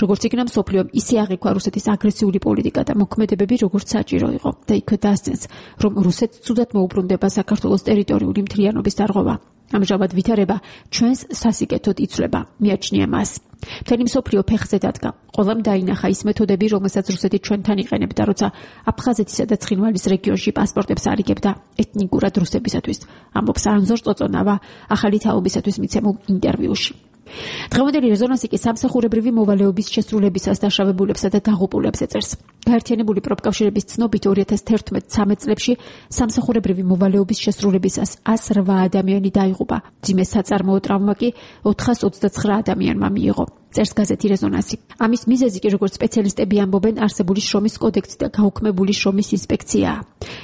როგორც იქნა მსოფლიომ, ისე აღიქვა რუსეთის აგრესიული პოლიტიკა და მოქმედებები როგორც საჭირო იყო და იქვე დასცენს, რომ რუსეთს ცუდად მოუბრუნდება საქართველოს ტერიტორიული მთლიანობის დარღვევა. ამჟამად ვითარება ჩვენს სასიკეთოდ იცვლება, მიაჩნია მას. მთელი მსოფლიო ფეხზე დადგა. ყველამ დაინახა ის მეთოდები, რომელსაც რუსეთი ჩვენთან იყენებდა, როცა აფხაზეთისა და ცხინვალის რეგიონში პასპორტებს არიგებდა ეთნიკურად რუსებისათვის, ამბობს ანზორ წოწონავა ახალი თაობისათვის მიცემულ ინტერვიუში. დღევანდელი რეზონანსი კი სამსახურებრივი მოვალეობის შესრულებისას დაშავებულებსა და დაღუპულებს ეწერს. გაერთიანებული პროფკავშირების ცნობით ორი ათას თერთმეტ-ცამეტ წლებში სამსახურებრივი მოვალეობის შესრულებისას ას რვა ადამიანი დაიღუპა. მძიმე საწარმოო ტრავმა კი ოთხას ოცდაცხრა ადამიანმა მიიღო. წერს გაზეთი რეზონანსი. ამის მიზეზი კი როგორც სპეციალისტები ამბობენ, არსებული შრომის კოდექსი და გაუქმებული შრომის ინსპექციაა.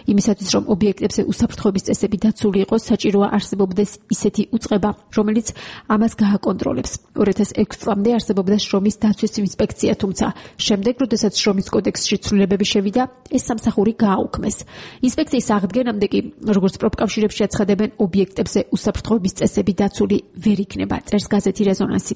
იმისათვის რომ ობიექტებზე უსაფრთხოების წესები დაცული იყოს, საჭიროა არსებობდეს ისეთი უწყება, რომელიც ამას გააკონტროლებს. ორი ათას ექვსი წლამდე არსებობდა შრომის დაცვის ინსპექცია, თუმცა შემდეგ, როდესაც შრომის კოდექსში ცვლილებები შევიდა, ეს სამსახური გააუქმეს. ინსპექციის აღდგენამდე კი, როგორც პროფკავშირებში აცხადებენ, ობიექტებზე უსაფრთხოების წესები დაცული ვერ იქნება, წერს გაზეთი რეზონანსი.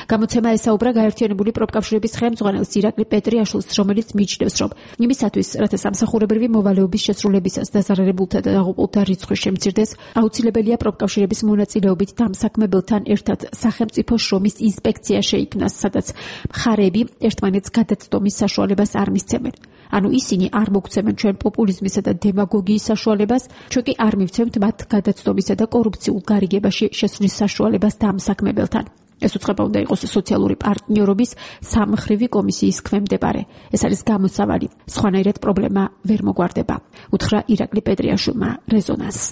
გამოცემა ესაუბრა გაერთიანებული პროფკავშირების ხელმძღვანელს ირაკლი პეტრიაშვილს, რომელიც მიიჩნევს, რომ იმისათვის, რათა სამსახურებრივი მოვალეობის შესრულებისას დაზარალებულთა და დაღუპულთა რიცხვი შემცირდეს, აუცილებელია პროფკავშირების მონაწილეობით დამსაქმებელთან ერთად სახელმწიფო შრომის ინსპექცია შეიქმნას, სადაც მხარეები ერთმანეთს გადაცდომის საშუალებას არ მისცემენ. ანუ ისინი არ მოგცემენ ჩვენ პოპულიზმისა და დემაგოგიის საშუალებას, ჩვენ კი არ მივცემთ მათ გადაცდომისა და კორუფციულ გარიგებაში შესვლის საშუალებას დამსაქმებელთან. ეს უწყება უნდა იყოს სოციალური პარტნიორობის სამმხრივი კომისიის ქვემდებარე. ეს არის გამოსავალი. სხვანაირად პრობლემა ვერ მოგვარდება. უთხრა ირაკლი პეტრიაშვილმა რეზონანსს.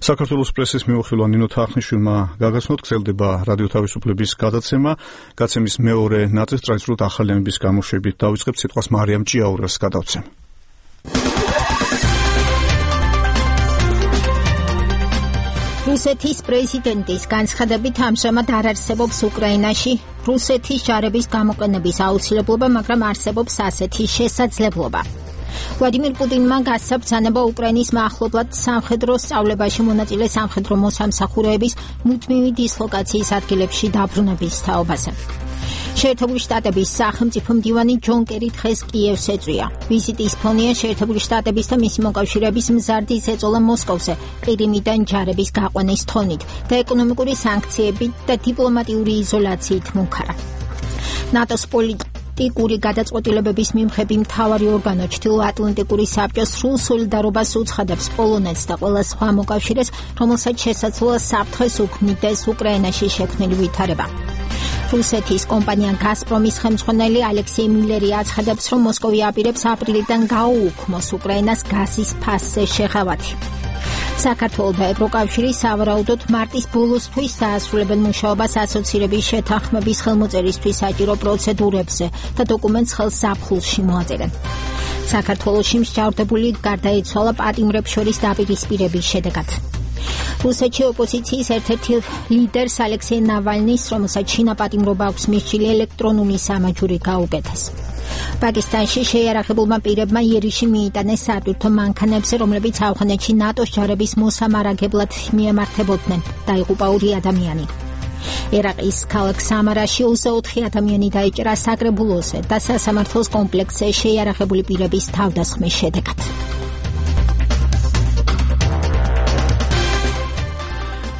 საქართველოს პრესის მიმოხილვა ნინო თახნიშვილმა გაგაცნოთ, გრძელდება რადიო თავისუფლების გადაცემა. გაცემის მეორე ნაწილს ტრადიციულად ახალი ამბის გამოშვებით დავიწყებთ, სიტყვას მარიამ ჭიაურელს გადავცემ. რუსეთის პრეზიდენტის განცხადებით ამჟამად არ არსებობს უკრაინაში რუსეთის ჯარების გამოყენების აუცილებლობა, მაგრამ არსებობს ასეთი შესაძლებლობა. ვლადიმირ პუტინმა გასაბრძანება უკრაინის მახლობლად სამხედრო სწავლებაში მონაწილე სამხედრო მოსამსახურეების მუდმივი დისლოკაციის ადგილებში დაბრუნების თაობაზე. შეერთებული შტატების სახელმწიფო მდივანი ჯონ კერი დღეს კიევს ეწვია. ვიზიტის ფონია შეერთებული შტატების და მისი მოკავშირეების მზარდის ეწოლა მოსკოვზე ყირიმიდან ჯარების გაყვანის თონით და ეკონომიკური სანქციებით და დიპლომატიური იზოლაციით მუქარა. ნატოს პოლიტიკური გადაწყვეტილებების მიმღები მთავარი ორგანო ჩრდილოატლანტიკური საბჭო სრულ სოლიდარობას უცხადებს პოლონეთს და ყველა სხვა მოკავშირეს, რომელსაც შესაძლოა საფრთხეს უქმნიდეს უკრაინაში შექმნილი ვითარება. რუსეთის კომპანია გაზპრომის ხელმძღვანელი ალექსეი მილერი აცხადებს, რომ მოსკოვი აპირებს აპრილიდან გაუუქმოს უკრაინას გაზის ფასზე შეღავათი. საქართველოს და ევროკავშირი სავარაუდოდ მარტის ბოლოსთვის დაასრულებენ მუშაობას ასოცირების შეთანხმების ხელმოწერისთვის საჭირო პროცედურებზე და დოკუმენტს ხელს ზაფხულში მოაწერენ. საქართველოში მსჯავრდებული გარდაიცვალა პატიმრებს შორის დაპირისპირების შედეგად. რუსეთში ოპოზიციის ერთ-ერთი ლიდერს ალექსეი ნავალნის, რომელსაც შინაპატიმრობა აქვს მისჭილი, ელექტრონული სამაჯური გაუკეთეს. პაკისტანში შეიარაღებულმა პირებმა იერიში მიიტანეს სატვირთო მანქანებზე, რომლებიც ავღანეთში ნატოს ჯარების მოსამარაგებლად მიემართებოდნენ. დაიღუპა ორი ადამიანი. ერაყის ქალაქ სამარაში ოცდაოთხი ადამიანი დაიჭრა საკრებულოზე და სასამართლოს კომპლექსზე შეიარაღებული პირების თავდასხმის შედეგად.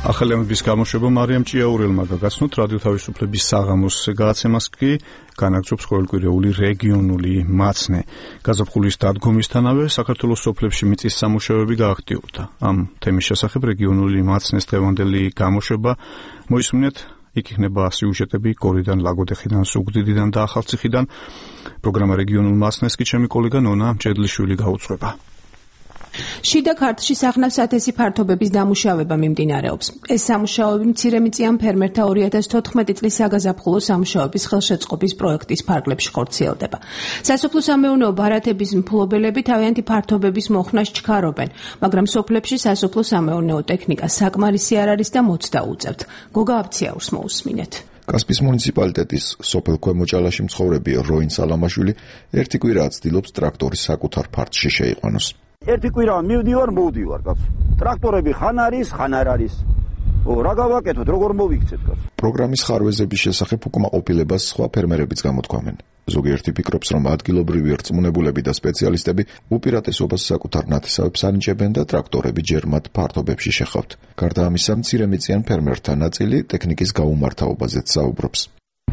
ახალი ამბის გამოშვება მარიამ ჭიაურელმა გაგაცნოთ, რადიო თავისუფლების საღამოს გადაცემას კი განაგრძობს ყოველკვირეული რეგიონული მაცნე. გაზაფხულის დადგომისთანავე საქართველოს სოფლებში მიწის სამუშაოები გააქტიურდა. ამ თემის შესახებ რეგიონული მაცნეს დღევანდელი გამოშვება მოისმინეთ. იქ იქნება სიუჟეტები გორიდან, ლაგოდეხიდან, სუგდიდიდან და ახალციხიდან. პროგრამა რეგიონულ მაცნეს კი ჩემი კოლეგა ნონა მჭედლიშვილი გაუძღვება. შიდა ქართლში სახნავს ათასი ფართობების დამუშავება მიმდინარეობს. ეს სამუშაოები მცირემიწიან ფერმერთა ორი ათას თოთხმეტი წლის საგაზაფხულო სამუშაოების ხელშეწყობის პროექტის ფარგლებში ხორციელდება. სასოფლო-სამეურნეო ბარათების მფლობელები თავიანთი ფართობების მოხნას ჩქარობენ, მაგრამ სოფლებში სასოფლო-სამეურნეო ტექნიკა საკმარისი არ არის და მოცდა უწევთ. გოგა აბციაურს მოусმინეთ. კასპის მუნიციპალიტეტის სოფელ ქვემოჭალაში მცხოვრები როინ სალამაშვილი ერთი კვირაა ცდილობს ტრაქტორის საკუთარ ფართში შეიყვანოს. ერთი კვირა მივდივარ, მოვდივარ, კაცო. ტრაქტორები ხან არის, ხან არ არის. ო, რა გავაკეთოთ, როგორ მოვიქცეთ, კაცო. პროგრამის ხარვეზების შესახებ უკმაყოფილებას სხვა ფერმერებიც გამოთქვამენ. ზოგიერთი ფიქრობს, რომ ადგილობრივი რწმუნებულები და სპეციალისტები უპირატესობას საკუთარ ნათესავებს ანიჭებენ და ტრაქტორები ჯერ მათ ფართობებში შეხავთ. გარდა ამისა, მცირემიწიან ფერმერთა ნაწილი ტექნიკის გაუმართავობაზეც საუბრობს.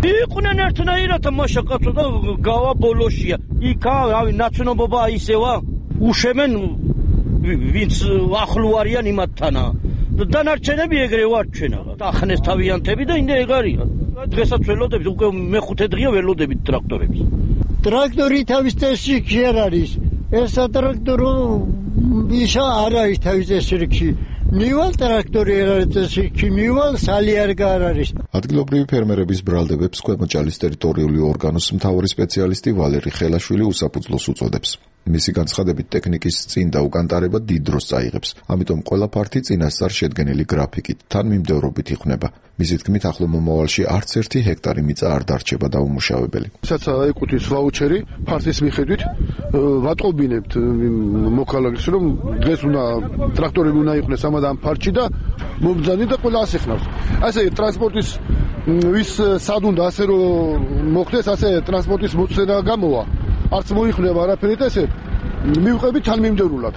იყვნენ ერთნაირად მაშა კაცო და გავა ბოლოშია. იქა, რავი, ნაცნობობა ისევა, უშემენ ვინც ახლო არიან იმათთანა. დანარჩენები ეგრე ვარ ჩვენ აღარ. ახნეს თავიანთები და ინდა ეგ არიან. დღესაც ველოდებით, უკვე მეხუთე დღეა ველოდებით ტრაქტორებს. ტრაქტორი თავის წესში კი არ არის. ესა ტრაქტორო ისა არ არის თავის წესში. მივალ ტრაქტორი არ არის წესში, მივალ სალი არ არის. ადგილობრივი ფერმერების ბრალდებებს ქვემოჭალის ტერიტორიული ორგანოს მთავარი სპეციალისტი ვალერი ხელაშვილი უსაფუძვლოს უწოდებს. მისი განცხადებით ტექნიკის წინ და უკანტარება დიდ დროს წაიღებს, ამიტომ ყველა ფართი წინასწარ შედგენილი გრაფიკით თან მიმდევრობით იყვნება. მისი თქმით, ახლო მომავალში არც ერთი ჰექტარი მიწა არ დარჩება დაუმუშავებელი. სადაც ეკუთვნის ვაუჩერი ფართის მიხედვით ვატყობინებთ მოქალაქეს, რომ დღეს უნდა ტრაქტორები უნდა იყვნენ ამადან ფართში და მომძანი და ყველა ასეხნავს. ასე ტრანსპორტის ვის სად უნდა ასე რომ მოხდეს, ასე ტრანსპორტის მოცემა გამოვა. არც მოიხდება არაფერი და ესე მივყებით თანმიმდევრულად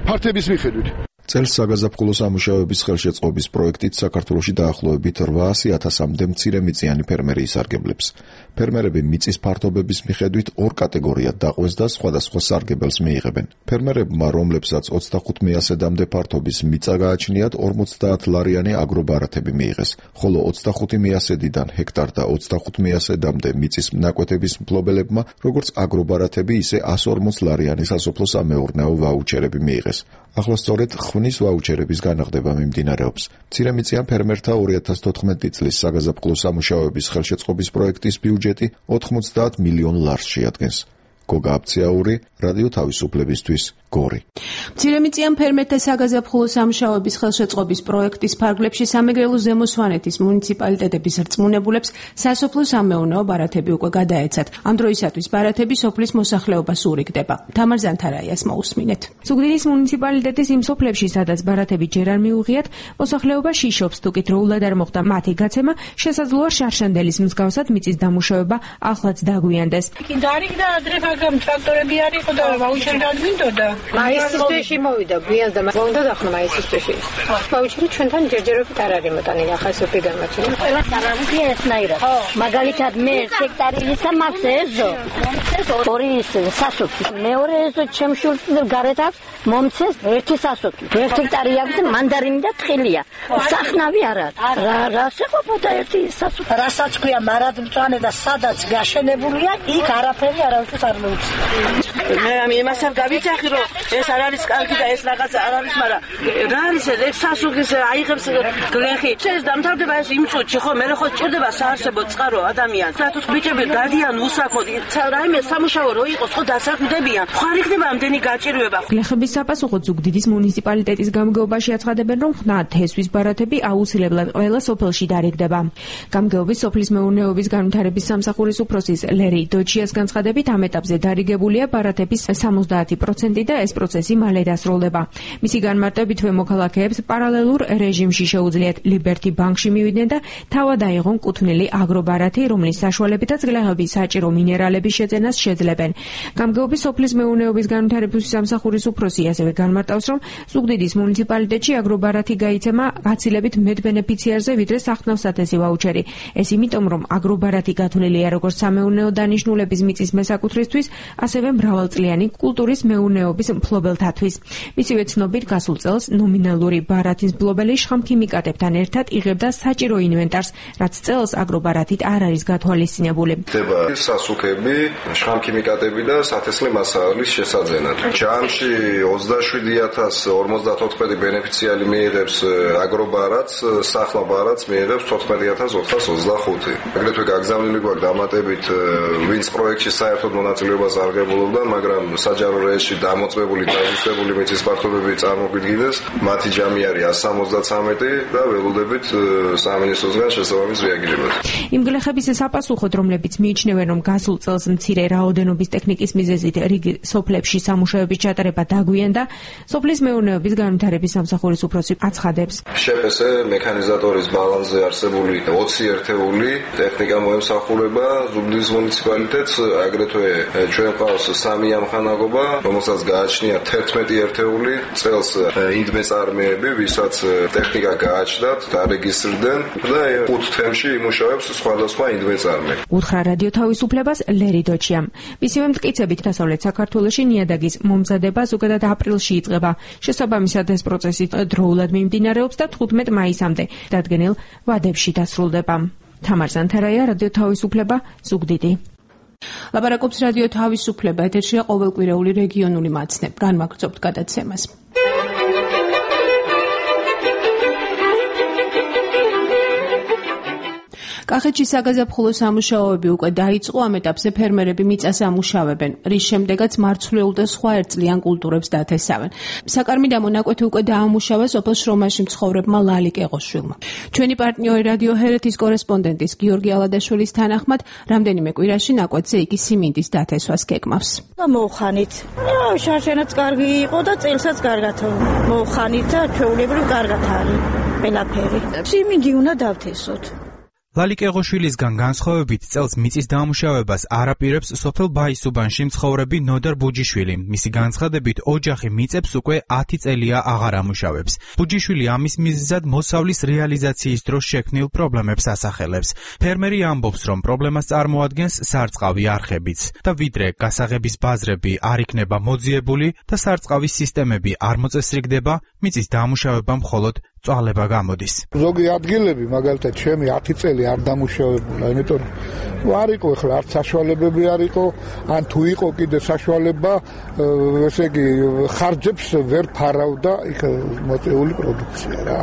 ფართების მიხედვით. წელს საგაზაფხულო სამუშაოების ხელშეწყობის პროექტით საქართველოში დაახლოებით რვაასი ათასამდე მცირემიწიანი ფერმერი ისარგებლებს. ფერმერები მიწის ფართობების მიხედვით ორ კატეგორიად დაყვეს და სხვადასხვა სარგებელს მიიღებენ. ფერმერებმა, რომლებსაც ოცდახუთ მიასედამდე ფართობის მიწა გააჩნიათ, ორმოცდაათ ლარიანი აგრობარათები მიიღეს, ხოლო ოცდახუთი მიასედიდან ჰექტარ და ოცდახუთ მიასედამდე მიწის ნაკვეთების მფლობელებმა, როგორც აგრობარათები, ისე εκατს ორმოც ლარიანი სასოფლო-სამეურნეო ვაუჩერები მიიღეს. ახლა სწორედ ხვნის ვაუჩერების განაღდება მიმდინარეობს. მცირემიწიან ფერმერთა ორი ათას თოთხმეტი წლის საგაზაფხულო სამუშაოების ხელშეწყობის პროექტის ბიუჯეტი ოთხმოცდაათ მილიონ ლარს შეადგენს. გოგა აბციაური, რადიო თავისუფლებისთვის, გორი. მცირემიწიან ფერმერთა საგაზაფხულო სამუშაოების ხელშეწყობის პროექტის ფარგლებში სამეგრელო ზემო სვანეთის მუნიციპალიტეტების რწმუნებულებს სასოფლო-სამეურნეო ბარათები უკვე გადაეცათ. ამ დროისათვის ბარათები სოფლის მოსახლეობას ურიგდება. თამარ ზანთარაიას მოусმინეთ. ზუგდიდის მუნიციპალიტეტის იმ სოფლებში, სადაც ბარათები ჯერ არ მიუღიათ, მოსახლეობა შიშობს, თუ კი დროულად არ მოხდა მათი გაცემა, შესაძლოა შარშანდელის მსგავსად მიწის დამუშავება ახლაც დაგვიანდეს. გამ ტრაქტორები არ იყო და ვაუჩერი გადმიდოდა. მაისის თვეში მოვიდა, გვიან და მოვიდა ახლა მაისის თვეში. ვაუჩერი ჩვენთან ჯერჯერობით არ არის მოტანილი, ახლა სოფი გამაჩნია. ყველა სარამქია ესნაირად. მაგალითად მე ჰექტარი ისა მაქვს ეზო. ეს ორი სასოფლი. მეორე ეზო ჩემშულს გარეთ აქვს მომცეს ერთი სასოფლი. ერთ ჰექტარი აქვს მანდარინი და თხილია. სახნავი არ არის. რა რა შეყოფოდა ერთი სასოფლი. რასაც ქვია მარადმწვანე და სადაც გაშენებულია, იქ არაფერი არავის არ მე ამ იმას არ გავიძახი რომ ეს არ არის კარგი და ეს რაღაც არ არის, მაგრამ რა არის ეს სასუქის აიღებს გლეხი. ეს დამთავრდება ეს იმ წუთში ხო, მე ხო ჭირდება საარსებო წყარო ადამიანს. რატო ბიჭები გადიან უსახოდ, რაიმე სამუშაო რო იყოს ხო დასაქმდებიან. ხო არ იქნება ამდენი გაჭირვება. გლეხების საპასუხოდ ზუგდიდის მუნიციპალიტეტის გამგეობაში აცხადებენ, რომ ხნა თესვის ბარათები აუცილებლად ყველა სოფელში დარიგდება. გამგეობის სოფლის მეურნეობის განვითარების სამსახურის უფროსის ლერი დოჩიას განცხადებით, ამ ეტაპზე დარიგებულია ბარათების სამოცდაათი პროცენტი და ეს პროცესი მალე დასრულდება. მისი განმარტებით მოქალაქეებს პარალელურ რეჟიმში შეუძლიათ ლიბერტი ბანკში მივიდნენ და თავად აიღონ კუთვნილი აგრობარათი, რომლის საშუალებითაც გლეხების საჭირო მინერალების შეძენას შეძლებენ. გამგეობის სოფლის მეურნეობის განვითარების სამსახურის უფროსი ასევე განმარტავს, რომ ზუგდიდის მუნიციპალიტეტში აგრობარათი გაიცემა გაცილებით მეტ ბენეფიციარზე, ვიდრე სახნავ-სათესი ვაუჩერი. ეს იმიტომ, რომ აგრობარათი გათვლილია როგორც სამეურნეო დანიშნულების მიწის მესაკუთრისთვის, ასევე მრავალწლიანი კულტურის მეურნეობის მფლობელთათვის. მისივე ცნობით, გასულ წელს ნომინალური ბარათის მფლობელი შხამქიმიკატებთან ერთად იღებდა საჭირო ინვენტარს, რაც წელს აგრობარათით არ არის გათვალისწინებული. ხდება სასუქები, შხამქიმიკატები და სათესლე მასალის შესაძენად. ჯამში ოცდაშვიდი ათას ორმოცდათოთხმეტი ბენეფიციარი მიიღებს აგრობარათს, სახლა ბარათს მიიღებს თოთხმეტი ათას ოთხსას ოცდახუთი. აგრეთვე გაგზავნილი გვაქვს დამატებით, ვინც პროექტში საერთოდ მონაწილეობას არ ღებულობდა, ხდება, მაგრამ საჯარო რეესში დამოწმებული დაუსწრებული მიწის ფართობები წარმოგვიდგინეს. მათი ჯამი არის εκατს სამოცდათრამეტი და ველოდებით სამინისტროსგან შესაბამის რეაგირებას. იმ გლეხების საპასუხოდ, რომლებიც მიიჩნევენ, რომ გასულ წელს მცირე რაოდენობის ტექნიკის მიზეზით რიგი სოფლებში სამუშაოების ჩატარება დაგვიანდა, სოფლის მეურნეობის განვითარების სამსახურის უფროსი აცხადებს. შეპესე მექანიზატორის ბალანსზე არსებული ოცი ერთეული ტექნიკა მოემსახურება ზუგდიდის მუნიციპალიტეტს, აგრეთვე ჩვენ ყავს სამი ამხანაგობა, რომელსაც გააჩნია თერთმეტი ერთეული წელს ინდმეწარმეები, ვისაც ტექნიკა გააჩნდათ, დარეგისტრდნენ და ხუთ თემში იმუშავებს სხვადასხვა ინდმეწარმე. უთხრა რადიო თავისუფლებას ლერი დოჩიამ. მისივე მტკიცებით დასავლეთ საქართველოში ნიადაგის მომზადება ზოგადად აპრილში იწყება. შესაბამისად ეს პროცესი დროულად მიმდინარეობს და თხუთმეტ მაისამდე დადგენილ ვადებში დასრულდება. თამარ ზანთარაია, რადიო თავისუფლება, ზუგდიდი. ლაპარაკობს რადიო თავისუფლება, ეთერშია ყოველკვირეული რეგიონული მაცნე. განმაგრძობთ გადაცემას. კახეთში საგაზაფხულო სამუშაოები უკვე დაიწყო, ამ ეტაპზე ფერმერები მიწას ამუშავებენ, რის შემდეგაც მარცვლეულ და სხვა ერთწლიან კულტურებს დათესავენ. საკარმი დამონაკვეთი უკვე დაამუშავა სოფელ შრომაში მცხოვრებმა ლალი კეღოშვილმა. ჩვენი პარტნიორი რადიო ჰერეთის კორესპონდენტის გიორგი ალადაშვილის თანახმად, რამდენიმე კვირაში ნაკვეთზე იგი სიმინდის დათესვას გეკმავს. მოუხანით. შარშენაც კარგი იყო და წელსაც კარგად მოუხანით და ჩვეულებრივ კარგად არის ყველაფერი. სიმინდი უნდა დავთესოთ. ლალი კეღოშვილისგან განსხვავებით წელს მიწის დამუშავებას არაპირებს სოფელ ბაისუბანში მცხოვრები ნოდარ ბუჯიშვილი. მისი განცხადებით, ოჯახი მიწებს უკვე ათი წელია აღარ ამუშავებს. ბუჯიშვილი ამის მიზეზად მოსავლის რეალიზაციის დროს შექმნილ პრობლემებს ასახელებს. ფერმერი ამბობს, რომ პრობლემას წარმოადგენს სარწყავი არხებიც და ვიდრე გასაღების ბაზრები არ იქნება მოძიებული და სარწყავის სისტემები არ მოწესრიგდება, მიწის დამუშავება მხოლოდ წვალება გამოდის. ზოგი ადგილები, მაგალითად, ჩემი ათი წელი არ დამუშავებულა, იმიტომ არ იყო ახლა არც საშუალებები არ იყო, ან თუ იყო კიდე საშუალება, ესე იგი ხარჯებს ვერ ფარავდა იქ მოწეული პროდუქცია რა.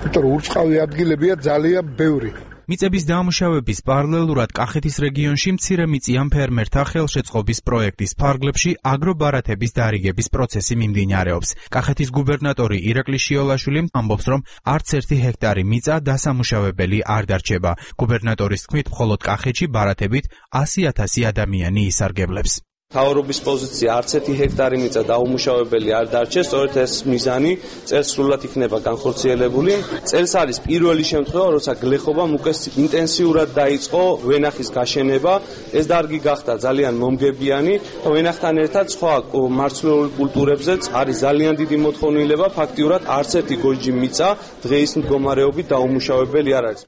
იმიტომ ურწყავი ადგილებია ძალიან ბევრი. მიწების დამუშავების პარალელურად კახეთის რეგიონში მცირე მიწიან ფერმერთა ხელშეწყობის პროექტის ფარგლებში აგრობარათების დარიგების პროცესი მიმდინარეობს. კახეთის გუბერნატორი ირაკლი შიოლაშვილი ამბობს, რომ არც ერთი ჰექტარი მიწა დასამუშავებელი არ დარჩება. გუბერნატორის თქმით, მხოლოდ კახეთში ბარათებით ასი ათასი ადამიანი ისარგებლებს. მთავრობის პოზიცია არც ერთი ჰექტარი მიწა დაუმუშავებელი არ დარჩეს, სწორედ ეს მიზანი წელს სრულად იქნება განხორციელებული. წელს არის პირველი შემთხვევა, როცა გლეხობამ უკვე ინტენსიურად დაიწყო ვენახის გაშენება. ეს დარგი გახდა ძალიან მომგებიანი და ვენახთან ერთად სხვა მარცვლეულ კულტურებზეც არის ძალიან დიდი მოთხოვნილება. ფაქტიურად არც ერთი გოჯი მიწა დღეის მდგომარეობით დაუმუშავებელი არ არის.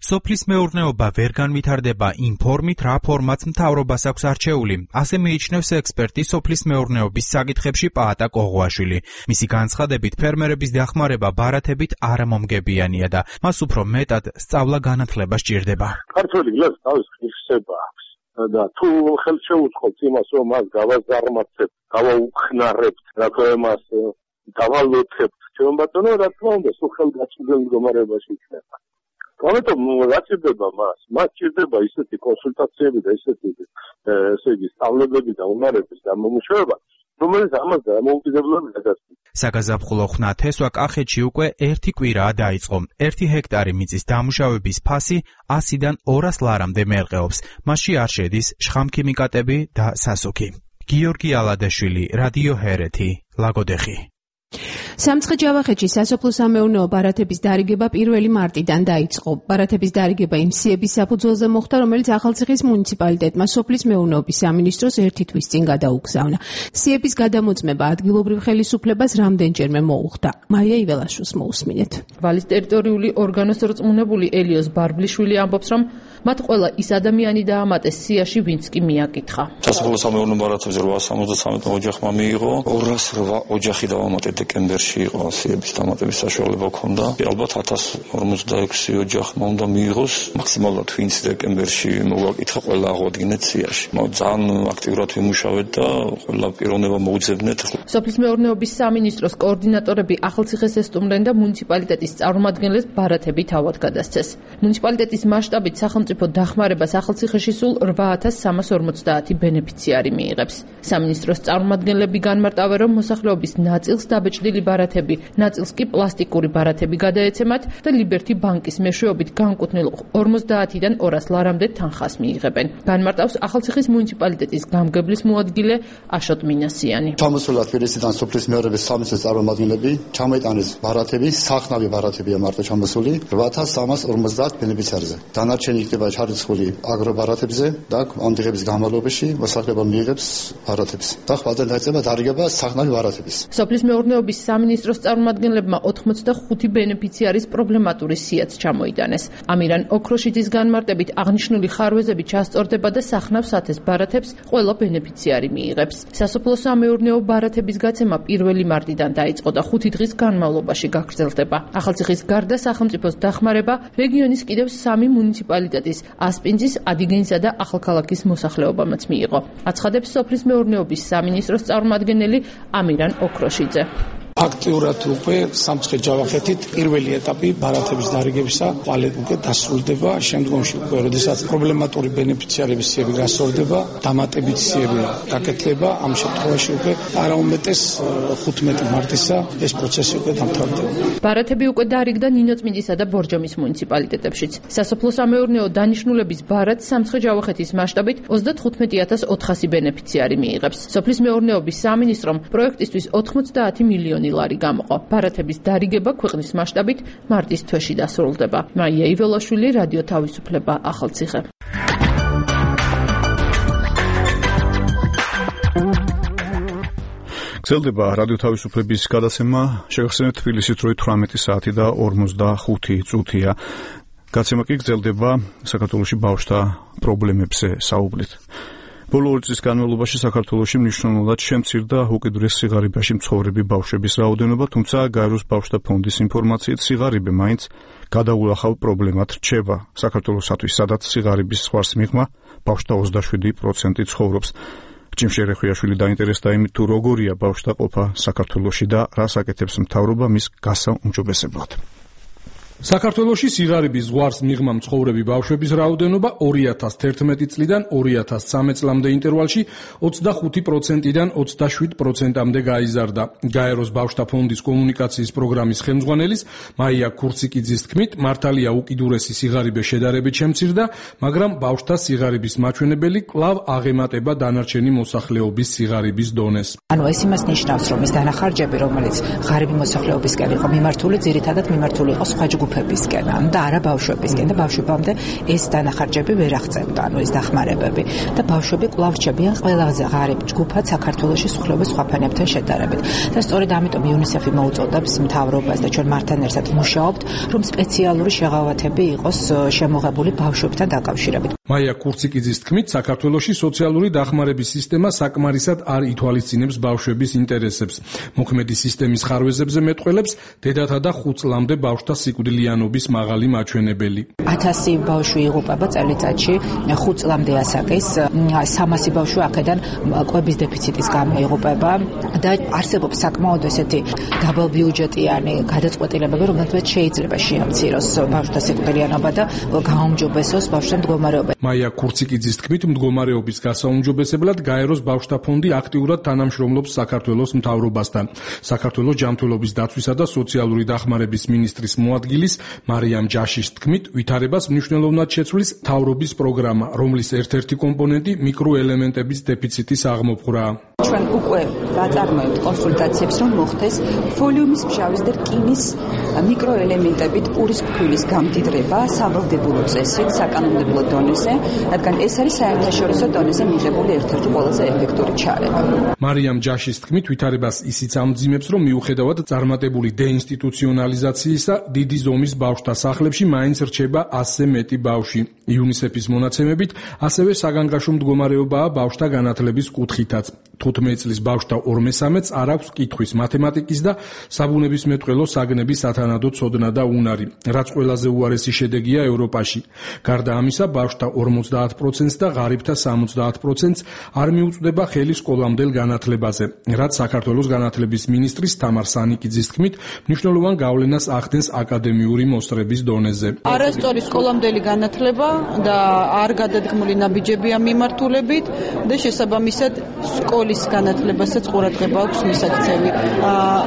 სოფლის მეურნეობა ვერ განვითარდება იმ ფორმით, რა ფორმაც მთავრობას აქვს არჩეული. ასე მიიჩნევს ექსპერტი სოფლის მეურნეობის საკითხებში პაატა კოღუაშვილი. მისი განცხადებით, ფერმერების დახმარება ბარათებით არამომგებიანია და მას უფრო მეტად სწავლა-განათლება სჭირდება. ქართველი გლეხს თავის ღირსება აქვს და თუ ხელს შეუწყობთ იმას, რომ მას გავაზარმაცებთ, გავაუხნარებთ, რა თქმა უნდა, მას დავალოთებთ, ჩვენ ბატონო, რა თქმა უნდა, სულ ხელგაჩინებელ მდგომარეობაში იქნება. ამიტომ რა ჭირდება მას? მას ჭირდება ისეთი კონსულტაციები და ისეთი ესე იგი სწავლებები და უნარების გამომუშავება, რომელიც ამას დამოუკიდებლად გადასცემს. საგაზაფხულო ხნათესვა კახეთში უკვე ერთი კვირაა დაიწყო. ერთი ჰექტარი მიწის დამუშავების ფასი ასიდან ორას ლარამდე მერყეობს. მასში არ შედის შხამქიმიკატები და სასუქი. გიორგი ალადაშვილი, რადიო ჰერეთი, ლაგოდეხი. სამცხე-ჯავახეთში სასოფლო-სამეურნეო ბარათების დარიგება პირველი მარტიდან დაიწყო. ბარათების დარიგება იმ სიების საფუძველზე მოხდა, რომელიც ახალციხის მუნიციპალიტეტმა სოფლის მეურნეობის სამინისტროს ერთი თვის წინ გადაუგზავნა. სიების გადამოწმება ადგილობრივ ხელისუფლებას რამდენჯერმე მოუხდა. მარია იველაშვილს მოусმინეთ. ვალის ტერიტორიული ორგანოს რწმუნებული ელიოს ბარბლიშვილი ამბობს, რომ მათ ყველა ის ადამიანი დაამატეს სიაში, ვინც კი მიაკითხა. სასოფლო-სამეურნეო ბარათებზე რვასამოცდათრამეტ ოჯახმა მიიღო, ორას რვა ოჯახი დავამატეთ დეკემბერში. წელში იყო სიების დამატების საშუალება ქონდა. ალბათ ათას ორმოცდაექვსი ოჯახმა უნდა მიიღოს, მაქსიმალურად ვინც დეკემბერში მოგაკითხა ყველა აღვადგინეთ სიაში. ძალიან აქტიურად ვიმუშავეთ და ყველა პიროვნება მოუძებნეთ. სოფლის მეურნეობის სამინისტროს კოორდინატორები ახალციხეს ესტუმრენ და მუნიციპალიტეტის წარმომადგენლებს ბარათები თავად გადასცეს. მუნიციპალიტეტის მასშტაბით სახელმწიფო დახმარებას ახალციხეში სულ რვა ათას სამას ორმოცდაათი ბენეფიციარი მიიღებს. სამინისტროს წარმომადგენლები განმარტავენ, რომ მოსახლეობის ნაწილს დაბეჭდილი ბარათები, ნაწილს კი პლასტიკური ბარათები გადაეცემათ და ლიბერთი ბანკის მეშვეობით განკუთვნილ ორმოცდაათიდან ორას ლარამდე თანხას მიიღებენ. განმარტავს ახალციხის მუნიციპალიტეტის გამგებლის მოადგილე აშოტ მინასიანი. ჩამოსულა თბილისიდან სოფლის მეურნეობის სამინისტროს წარმომადგენლები ჩამოიტანეს ბარათები, სახნავი ბარათებია მარტო ჩამოსული რვა ათას სამას ორმოცდაათ ბენეფიციარზე. დანარჩენი იქნება ჩარიცხული აგრობარათებზე და ამ დღეების განმავლობაში მოსახლეობა მიიღებს ბარათებს. და ხვალდან დაიწყება დარიგება სახნავი ბარათების. სოფლის მეურნეობის სამინისტროს წარმომადგენლებმა ოთხმოცდახუთი ბენეფიციარის პრობლემატური სიაც ჩამოიტანეს. ამირან ოქროშიძის განმარტებით აღნიშნული ხარვეზები ჩასწორდება და სახნავ სათეს ბარათებს ყველა ბენეფიციარი მიიღებს. სასოფლო-სამეურნეო ბარათების გაცემა პირველი მარტიდან დაიწყო და ხუთი დღის განმავლობაში გაგრძელდება. ახალციხის გარდა სახელმწიფოს დახმარება რეგიონის კიდევ სამი მუნიციპალიტეტის ასპინძის, ადიგენსა და ახალქალაქის მოსახლეობამაც მიიღო. აცხადებს სოფლის მეურნეობის სამინისტროს წარმომადგენელი ამირან ოქროშიძე. აქტიურად უკვე სამცხე-ჯავახეთით პირველი ეტაპი ბარათების დარიგებისა ყალე უკვე დასრულდება. შემდგომში უკვე როდესაც პრობლემატური ბენეფიციარების სიები გასწორდება, დამატებით სიები გაკეთდება, ამ შემთხვევაში უკვე არაუმეტეს ხუთმეტი მარტისა ეს პროცესი უკვე დამთავრდება. ბარათები უკვე დარიგდა ნინოწმინდისა და ბორჯომის მუნიციპალიტეტებშიც. სასოფლო-სამეურნეო დანიშნულების ბარათს სამცხე-ჯავახეთის მასშტაბით ოცდათხუთმეტი ათას ოთხასი ბენეფიციარი მიიღებს. სოფლის მეურნეობის სამინისტრომ პროექტისთვის ოთხმოცდაათი მილიონი ლარი გამოყო. ბარათების დარიგება ქვეყნის მასშტაბით მარტის თვეში დასრულდება. მაია იველაშვილი, რადიო თავისუფლება, ახალციხე. გრძელდება რადიო თავისუფლების გადაცემა. შეგახსენებთ, თბილისით როი თვრამეტი საათი და ორმოცდახუთი წუთია. გაცემა კი გრძელდება საქართველოში ბავშვთა პრობლემებზე საუბრით. ბოლო ორი წლის განმავლობაში საქართველოში მნიშვნელოვნად შემცირდა უკიდურეს სიღარიბეში მცხოვრები ბავშვების რაოდენობა, თუმცა გაეროს ბავშვთა ფონდის ინფორმაციით სიღარიბე მაინც გადაულახავ პრობლემად რჩება. საქართველოსათვის, სადაც სიღარიბის ზღვარს მიღმა ბავშვთა ოცდაშვიდი პროცენტი ცხოვრობს. ჭიმშე რეხვიაშვილი დაინტერესდა იმით, თუ როგორია ბავშვთა ყოფა საქართველოში და რას აკეთებს მთავრობა მის გასაუმჯობესებლად. საქართველოში სიღარიბის ზღვარს მიღმა მცხოვრები ბავშვების რაოდენობა ორი ათას თერთმეტი წლიდან ორი ათას ცხრამეტ წლამდე ინტერვალში ოცდახუთი პროცენტიდან ოცდაშვიდ პროცენტამდე გაიზარდა. გაეროს ბავშვთა ფონდის კომუნიკაციის პროგრამის ხელმძღვანელის მაია ქურციკიძის თქმით, მართალია უკიდურესი სიღარიბე შედარებით შემცირდა, მაგრამ ბავშვთა სიღარიბის მაჩვენებელი კვლავ აღემატება დანარჩენი მოსახლეობის სიღარიბის დონეს. ანუ ეს იმას ნიშნავს, რომ ეს დანახარჯები, რომელიც ღარიბი მოსახლეობისკენ იყო მიმართული, ძირითადად მიმართული იყო სხვა ჯგუფებისკენ და არა ბავშვებისკენ და ბავშვებამდე ეს დანახარჯები ვერ აღწევდა, ანუ ეს დახმარებები და ბავშვები კვლავ რჩებიან ყველაზე ღარიბ ჯგუფად საქართველოში მსხვილობის სხვა ფენებთან შედარებით. და სწორედ ამიტომ იუნისეფი მოუწოდებს მთავრობას და ჩვენ მართან ერთად მუშაობთ, რომ სპეციალური შეღავათები იყოს შემოღებული ბავშვებთან დაკავშირებით. მაია ქურციკიძის თქმით, საქართველოში სოციალური დახმარების სისტემა საკმარისად არ ითვალისწინებს ბავშვების ინტერესებს. მოქმედი სისტემის ხარვეზებზე მეტყველებს დედათა და ხუთ წლამდე ბავშვთა სიკვდილიანობის მაღალი მაჩვენებელი. ათასი ბავშვი იღუპება წელიწადში, ხუთ წლამდე ასაკის, სამასი ბავშვი აქედან კვების დეფიციტის გამო იღუპება და არსებობს საკმაოდ ესეთი დაბალბიუჯეტიანი გადაწყვეტილებები, რომელთაც შეიძლება შეამციროს ბავშვთა სიკვდილიანობა და გააუმჯობესოს ბავშვთა მდგომარეობა. მაია ქურციკიძის თქმით, მდგომარეობის გასაუმჯობესებლად გაეროს ბავშვთა ფონდი აქტიურად თანამშრომლობს საქართველოს მთავრობასთან. საქართველოს ჯანმრთელობის დაცვისა და სოციალური დახმარების მინისტრის მოადგილის მარიამ ჯაშის თქმით, ვითარებას მნიშვნელოვნად შეცვლის მთავრობის პროგრამა, რომლის ერთ-ერთი კომპონენტი მიკროელემენტების დეფიციტის აღმოფხვრაა. ჩვენ უკვე ვაწარმოებთ კონსულტაციებს, რომ მოხდეს ვოლიუმის მჟავის და რკინის მიკროელემენტებით პურის ფქვილის გამდიდრება სავალდებულო წესით საკანონმდებლო დონეზე, რადგან ეს არის საერთაშორისო დონეზე მიღებული ერთ-ერთი ყველაზე ეფექტური ჩარევა. მარიამ ჯაშის თქმით, ვითარებას ისიც ამძიმებს, რომ მიუხედავად წარმატებული დეინსტიტუციონალიზაციისა, დიდი ზომის ბავშვთა სახლებში მაინც რჩება ასზე მეტი ბავშვი. იუნისეფის მონაცემებით, ასევე საგანგაშო მდგომარეობაა ბავშვთა განათლების კუთხითაც. თხუთმეტი წლის ბავშვთა ორ მესამედს არ აქვს კითხვის, მათემატიკის და საბუნებისმეტყველო საგნების სათანადო ცოდნა და უნარი, რაც ყველაზე უარესი შედეგია ევროპაში. გარდა ამისა, ბავშვთა ორმოცდაათ პროცენტს და ღარიბთა სამოცდაათ პროცენტს არ მიუწვდება ხელი სკოლამდელ განათლებაზე, რაც საქართველოს განათლების მინისტრის თამარ სანიკიძის თქმით, მნიშვნელოვან გავლენას ახდენს აკადემიური მოსწრების დონეზე. არასწორი სკოლამდელი განათლება და არ გადადგმული ნაბიჯებია მიმართულებით და შესაბამისად სკოლის განათლებასაც ყურადღება აქვს მისაქცევი.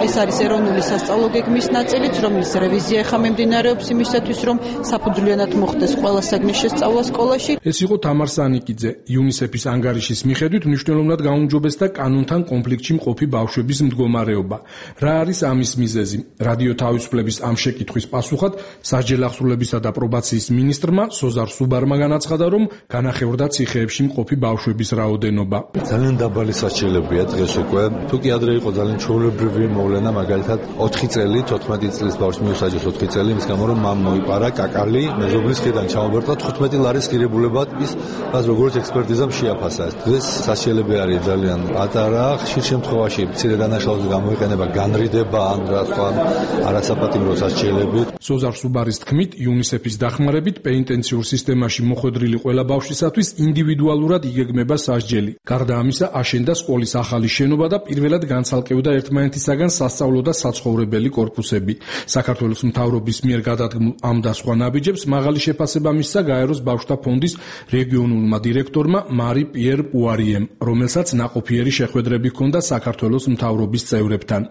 ეს არის ეროვნული სასწავლო გეგმის ნაწილიც, რომლის რევიზია ხა მიმდინარეობს იმისათვის, რომ საფუძვლიანად მოხდეს ყველა საგნის შესწავლა სკოლაში. ეს იყო თამარ სანიკიძე. იუნისეფის ანგარიშის მიხედვით მნიშვნელოვნად გაუმჯობესდა კანონთან კონფლიქტში მყოფი ბავშვების მდგომარეობა. რა არის ამის მიზეზი? რადიო თავისუფლების ამ შეკითხვის პასუხად სასჯელახსრულებისა და პრობაციის მინისტრმა სოზარ სუბარმა განაცხადა, რომ განახევრდა ციხეებში მყოფი ბავშვების რაოდენობა. ძალიან დაბალი სასჯელებია დღეს უკვე. თუ კი ადრე იყო ძალიან ჩვეულებრივი მოვლენა, მაგალითად ოთხი წელი, თოთხმეტი წლის ბავშვს მიუსაჯეს ოთხი წელი, იმის გამო რომ მამ მოიპარა კაკალი, მეზობლის ხიდან ჩამოვერტყა თხუთმეტი ლარის ღირებულებად ის რაც როგორც ექსპერტიზამ შეაფასა. დღეს სასჯელები არის ძალიან პატარა, ხშირ შემთხვევაში მცირე დანაშაულს გამოიყენება განრიდება ან რა სხვა არასაპატიმრო სასჯელები. სოზარ სუბარის თქმით, იუნისეფის დახმარებით პენიტენციურ სისტემაში მოხვედრილი ყველა ბავშვისათვის ინდივიდუალურად იგეგმება სასჯელი. გარდა ამისა, აშენდა სკოლის ახალი შენობა და პირველად განცალკევდა ერთმანეთისაგან სასწავლო და საცხოვრებელი კორპუსები. საქართველოს მთავრობის მიერ გადადგმულ ამ და სხვა ნაბიჯებს მაღალი შეფასება მისცა გაეროს ბავშვთა ფონდის რეგიონულმა დირექტორმა მარი პიერ პუარიემ, რომელსაც ნაყოფიერი შეხვედრები ჰქონდა საქართველოს მთავრობის წევრებთან.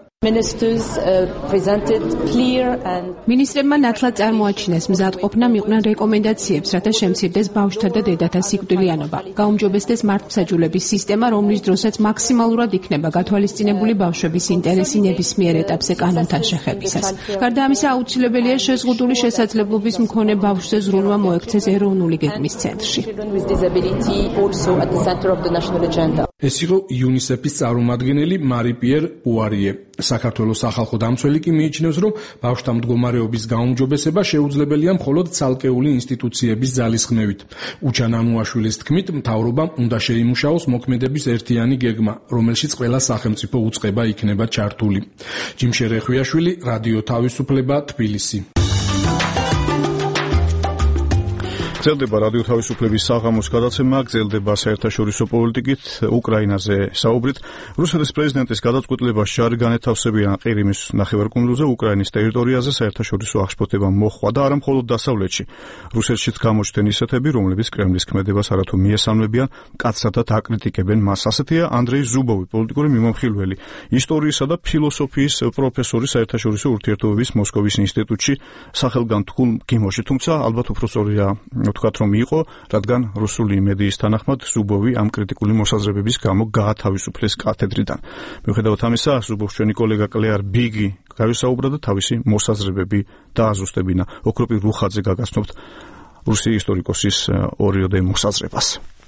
მინისტრებმა ნათლად წარმოაჩინეს მზადყოფნა მიყვნენ რეკომენდაციებს, რათა შემცირდეს ბავშვთა და დედათა სიკვდილიანობა. გაუმჯობესდეს მართლმსაჯულების სისტემა, რომლის დროსაც მაქსიმალურად იქნება გათვალისწინებული ბავშვების ინტერესი ნებისმიერ ეტაპზე კანონთან შეხებისას. გარდა ამისა, აუცილებელია შეზღუდული შესაძლებლობის მქონე ბავშვზე ზრუნვა მოექცეს ეროვნული გეგმის ცენტრში. ეს იყო იუნისეფის წარმომადგენელი მარი პიერ პუარიე. საქართველოს სახალხო დამცველი კი მიიჩნევს, რომ ბავშვთა მდგომარეობის გაუმჯობესება შეუძლებელია მხოლოდ ცალკეული ინსტიტუციების ძალისხმევით. უჩან ანუაშვილის თქმით, მთავრობამ უნდა შეიმუშაოს მოქმედების ერთიანი გეგმა, რომელშიც ყველა სახელმწიფო უწყება იქნება ჩართული. ჯიმშე რეხვიაშვილი, რადიო თავისუფლება, თბილისი. გრძელდება რადიო თავისუფლების საღამოს გადაცემა, გრძელდება საერთაშორისო პოლიტიკით, უკრაინაზე საუბრით. რუსეთის პრეზიდენტის გადაწყვეტილებას ჯარი განეთავსებიან ყირიმის ნახევარკუნძულზე, უკრაინის ტერიტორიაზე საერთაშორისო აღშფოთება მოხდა და არა მხოლოდ დასავლეთში. რუსეთშიც გამოჩნდნენ ისეთები, რომლებიც კრემლის ქმედებას არათუ მიესალმებიან, მკაცრად აკრიტიკებენ მას. ასეთია ანდრეი ზუბოვი, პოლიტიკური მიმოხილველი, ისტორიისა და ფილოსოფიის პროფესორი საერთაშორისო ურთიერთობების მოსკოვის ინსტიტუტში, სახელგანთქმულ გიმოში, თუმცა ალბათ უფრო სწორია ვთქვათ, რომ იყო, რადგან რუსული მედიის თანახმად ზუბოვი ამ კრიტიკული მოსაზრებების გამო გაათავისუფლეს კათედრიდან. მიუხედავად ამისა, ზუბოვს ჩვენი კოლეგა კლეარ ბიგი გავისაუბრა და თავისი მოსაზრებები დააზუსტებინა. ოქროპი რუხაძე გაგაცნობთ რუსი ისტორიკოსის ორიოდე მოსაზრებას.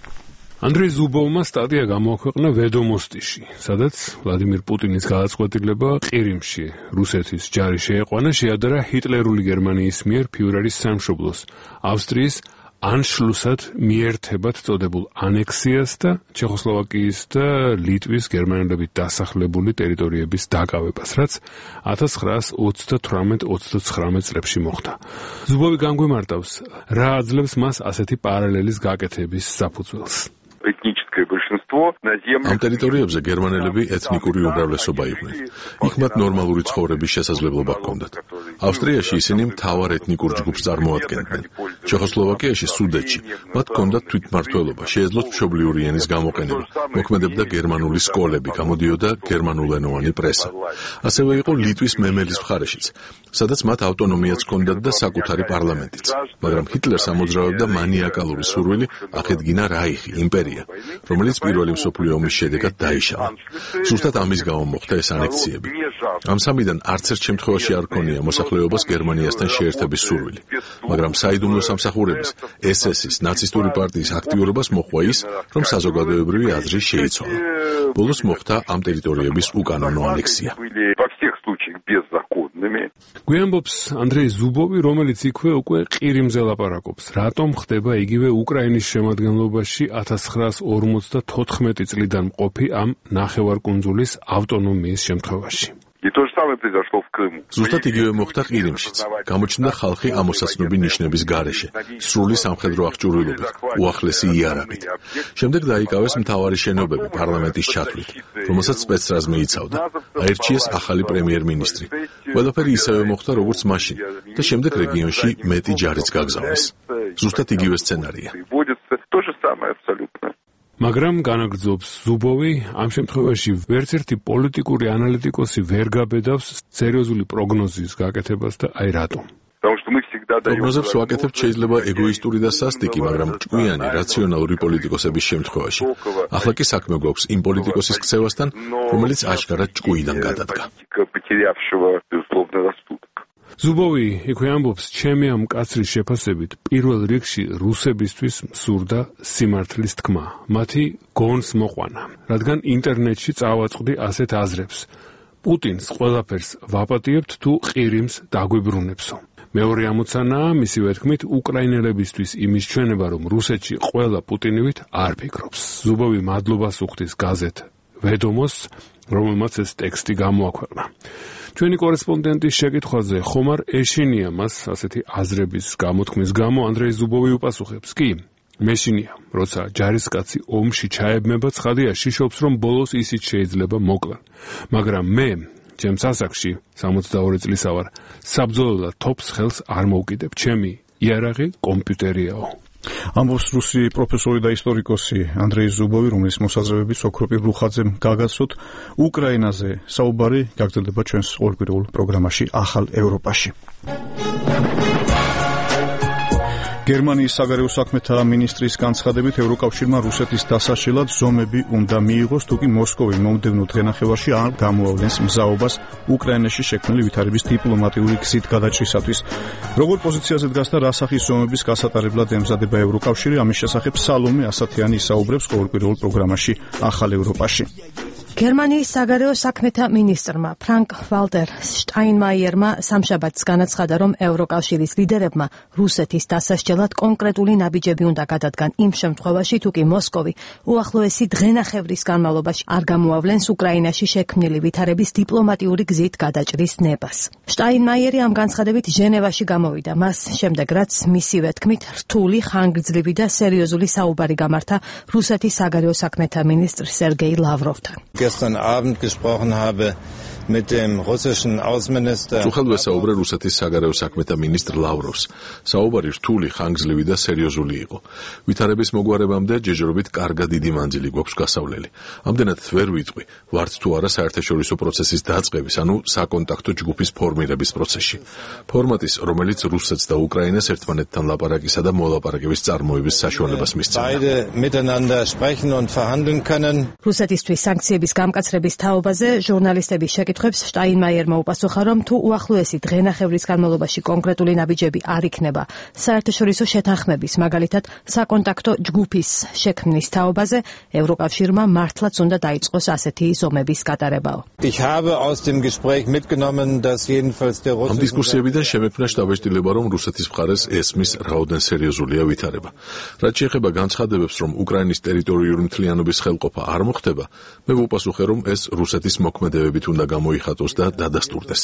ანდრეი ზუბოვმა სტატია გამოაქვეყნა ვედომოსტიში, სადაც ვლადიმირ პუტინის გადაწყვეტილება ყირიმში რუსეთის ჯარი შეეყვანა შეადარა ჰიტლერული გერმანიის მიერ ფიურერის სამშობლოს, ავსტრიის ანშლუსად მიერთებად წოდებულ ანექსიას და ჩეხოსლოვაკიის და ლიტვის გერმანელებით დასახლებული ტერიტორიების დაკავებას, რაც ათას ცხრაას ოცდათვრამეტ ოცდაცხრამეტ წლებში მოხდა. ზუბოვი განგვიმარტავს, რა აძლევს მას ასეთი პარალელის გაკეთების საფუძველს. ამ ტერიტორიებზე გერმანელები ეთნიკური უმრავლესობა იყვნენ. იქ მათ ნორმალური ცხოვრების შესაძლებლობა ჰქონდათ. ავსტრიაში ისინი მთავარ ეთნიკურ ჯგუფს წარმოადგენდნენ. ჩეხოსლოვაკიაში, სუდეტში მათ ჰქონდათ თვითმმართველობა, შეეძლოთ მშობლიური ენის გამოყენება, მოქმედებდა გერმანული სკოლები, გამოდიოდა გერმანულენოვანი პრესა. ასევე იყო ლიტვის მემელის მხარეშიც, სადაც მათ ავტონომიაც ჰქონდათ და საკუთარი პარლამენტიც. მაგრამ ჰიტლერს ამოძრავებდა მანიაკალური სურვილი აღედგინა რაიხი, იმპერია, რომელიც პირველი მსოფლიო ომის შედეგად დაიშალა. ზუსტად ამის გამო მოხდა ეს ანექსიები. ამ სამიდან არც ერთ შემთხვევაში არ ქონია მოსახლეობას გერმანიასთან შეერთების სურვილი, მაგრამ საიდუმლო სამსახურების ეს ეს-ის ნაცისტური პარტიის აქტიურობას მოჰყვა ის, რომ საზოგადოებრივი აზრი შეიცვალა. ბოლოს მოხდა ამ ტერიტორიების უკანონო ანექსია. мальчик беззаконными. გვიანბობს ანდრეი ზუბოვი, რომელიც იქვე უკვე ყირიმზე ლაპარაკობს. რატომ ხდება იგივე უკრაინის შემადგენლობაში ათას ცხრაას ორმოცდათოთხმეტი წლიდან მყოფი ამ ნახევარკუნძულის ავტონომიის შემთხვევაში? И то же самое произошло в Крыму. ზუსტად იგივე მოხდა ყირიმშიც. გამოჩნდა ხალხი ამოსაცნობი ნიშნების გარეშე, სრული სამხედრო აღჭურვილობით, უახლესი იარაღით. შემდეგ დაიკავეს მთავარი შენობები პარლამენტის ჩათვლით, რომელსაც სპეცრაზმი იცავდა. აირჩიეს ახალი პრემიერ-მინისტრი. ყველაფერი ისევე მოხდა, როგორც მაშინ და შემდეგ რეგიონში მეტი ჯარიც გაგზავნეს. ზუსტად იგივე სცენარია. То же самое абсолютно. მაგრამ განაგრძობს ზუბოვი, ამ შემთხვევაში ვერც ერთი პოლიტიკური ანალიტიკოსი ვერ გაბედავს სერიოზული პროგნოზის გაკეთებას და აი რატომ. პროგნოზებს ვაკეთებთ შეიძლება ეგოისტური და სასტიკი, მაგრამ ჭკვიანი, რაციონალური პოლიტიკოსების შემთხვევაში. ახლა კი საქმე გვაქვს იმ პოლიტიკოსის ქცევასთან, რომელიც აშკარად ჭკვიიდან გადადგა. ზუბოვი იქვე ამბობს, ჩემი ამ კაცრის შეფასებით პირველ რიგში რუსებისთვის მსურდა სიმართლის თქმა, მათი გონს მოყვანა, რადგან ინტერნეტში წავაწყდი ასეთ აზრებს. პუტინს ყველაფერს ვაპატიებთ თუ ყირიმს დაგვიბრუნებსო. მეორე ამოცანაა, მისივე თქმით, უკრაინელებისთვის იმის ჩვენება, რომ რუსეთში ყველა პუტინივით არ ფიქრობს. ზუბოვი მადლობას უხდის გაზეთ ვედომოს, რომელმაც ეს ტექსტი გამოაქვეყნა. ჩვენი კორესპონდენტის შეკითხვაზე ხომარ ეშინია მას ასეთი აზრების გამოთქმის გამო ანდრეი ზუბოვი უპასუხებს კი მეშინია, როცა ჯარისკაცი ომში ჩაებმება ცხადია შიშობს, რომ ბოლოს ისიც შეიძლება მოკლან. მაგრამ მე ჩემს ასაკში სამოცდაორი წლისა ვარ, საბრძოლველად თოფს ხელს არ მოვკიდებ, ჩემი იარაღი კომპიუტერიაო. ამბობს რუსი პროფესორი და ისტორიკოსი ანდრეი ზუბოვი, რომლის მოსაზრებებით სოქროპი რუხაძემ გაგაცნოთ. უკრაინაზე საუბარი გაგრძელდება ჩვენს ორკვირეულ პროგრამაში ახალ ევროპაში. გერმანიის საგარეო საქმეთა მინისტრის განცხადებით ევროკავშირმა რუსეთის დასაშლელად ზომები უნდა მიიღოს, თუკი მოსკოვი მომდევნო დღენახევარში არ გამოავლენს მზაობას უკრაინაში შექმნილი ვითარების დიპლომატიური გზით გადაჭრისათვის. როგორ პოზიციაზე დგას და რა სახის ზომების გასატარებლად ემზადება ევროკავშირი, ამის შესახებ სალომე ასათიანი ისაუბრებს ყოველკვირეულ პროგრამაში ახალ ევროპაში. გერმანიის საგარეო საქმეთა მინისტრმა ფრანკ ვალტერ შტაინმაიერმა სამშაბათს განაცხადა, რომ ევროკავშირის ლიდერებმა რუსეთის დასასჯელად კონკრეტული ნაბიჯები უნდა გადადგან იმ შემთხვევაში, თუ კი მოსკოვი უახლოესი დღენახევრის განმავლობაში არ გამოავლენს უკრაინაში შექმნილი ვითარების დიპლომატიური გზით გადაჭრის ნებას. შტაინმაიერი ამ განცხადებით ჟენევაში გამოვიდა, მას შემდეგ რაც მისივე თქმით რთული, ხანგრძლივი და სერიოზული საუბარი გამართა რუსეთის საგარეო საქმეთა მინისტრ სერგეი ლავროვთან. gestern Abend gesprochen habe mit dem russischen Außenminister. Სუხელვე საუბრე რუსეთის საგარეო საქმეთა მინისტრ ლავროვს. საუბარი რთული, ხანგრძლივი და სერიოზული იყო. ვითარების მოგვარებამდე ჯეჯერობით კარგად დიდი მანძილი გვაქვს გასავლელი. ამდენად ვერ ვიტყვი, ვართ თუ არა საერთაშორისო პროცესის დაწყების, ანუ საკონტაქტო ჯგუფის ფორმირების პროცესში. ფორმატის, რომელიც რუსეთს და უკრაინას ერთმანეთთან ლაპარაკისა და მოლაპარაკების წარმოების საშუალებას მისცემდა. Beide miteinander sprechen und verhandeln können. რუსეთისთვის სანქციების გამკაცრების თაობაზე ჟურნალისტების შეკითხვებს შტაინმაიერმა უპასუხა, რომ თუ უახლოესი დღენახევრის განმავლობაში კონკრეტული ნაბიჯები არ იქნება საერთაშორისო შეთანხმების, მაგალითად საკონტაქტო ჯგუფის შექმნის თაობაზე, ევროკავშირმა მართლაც უნდა დაიწყოს ასეთი ზომების გატარებაო. Ich habe aus dem Gespräch mitgenommen, dass jedenfalls der ამ დისკუსიებიდან შემეფნა შტაბ-ბიჭდილება, რომ რუსეთის მხარეს ესმის რაოდენ სერიოზულია ვითარება. რაც შეეხება განცხადებებს, რომ უკრაინის ტერიტორიული მთლიანობის ხელყოფა არ მოხდება, მე ვუპასუხე, რომ ეს რუსეთის მოქმედებებით უნდა გამოიხატოს და დადასტურდეს.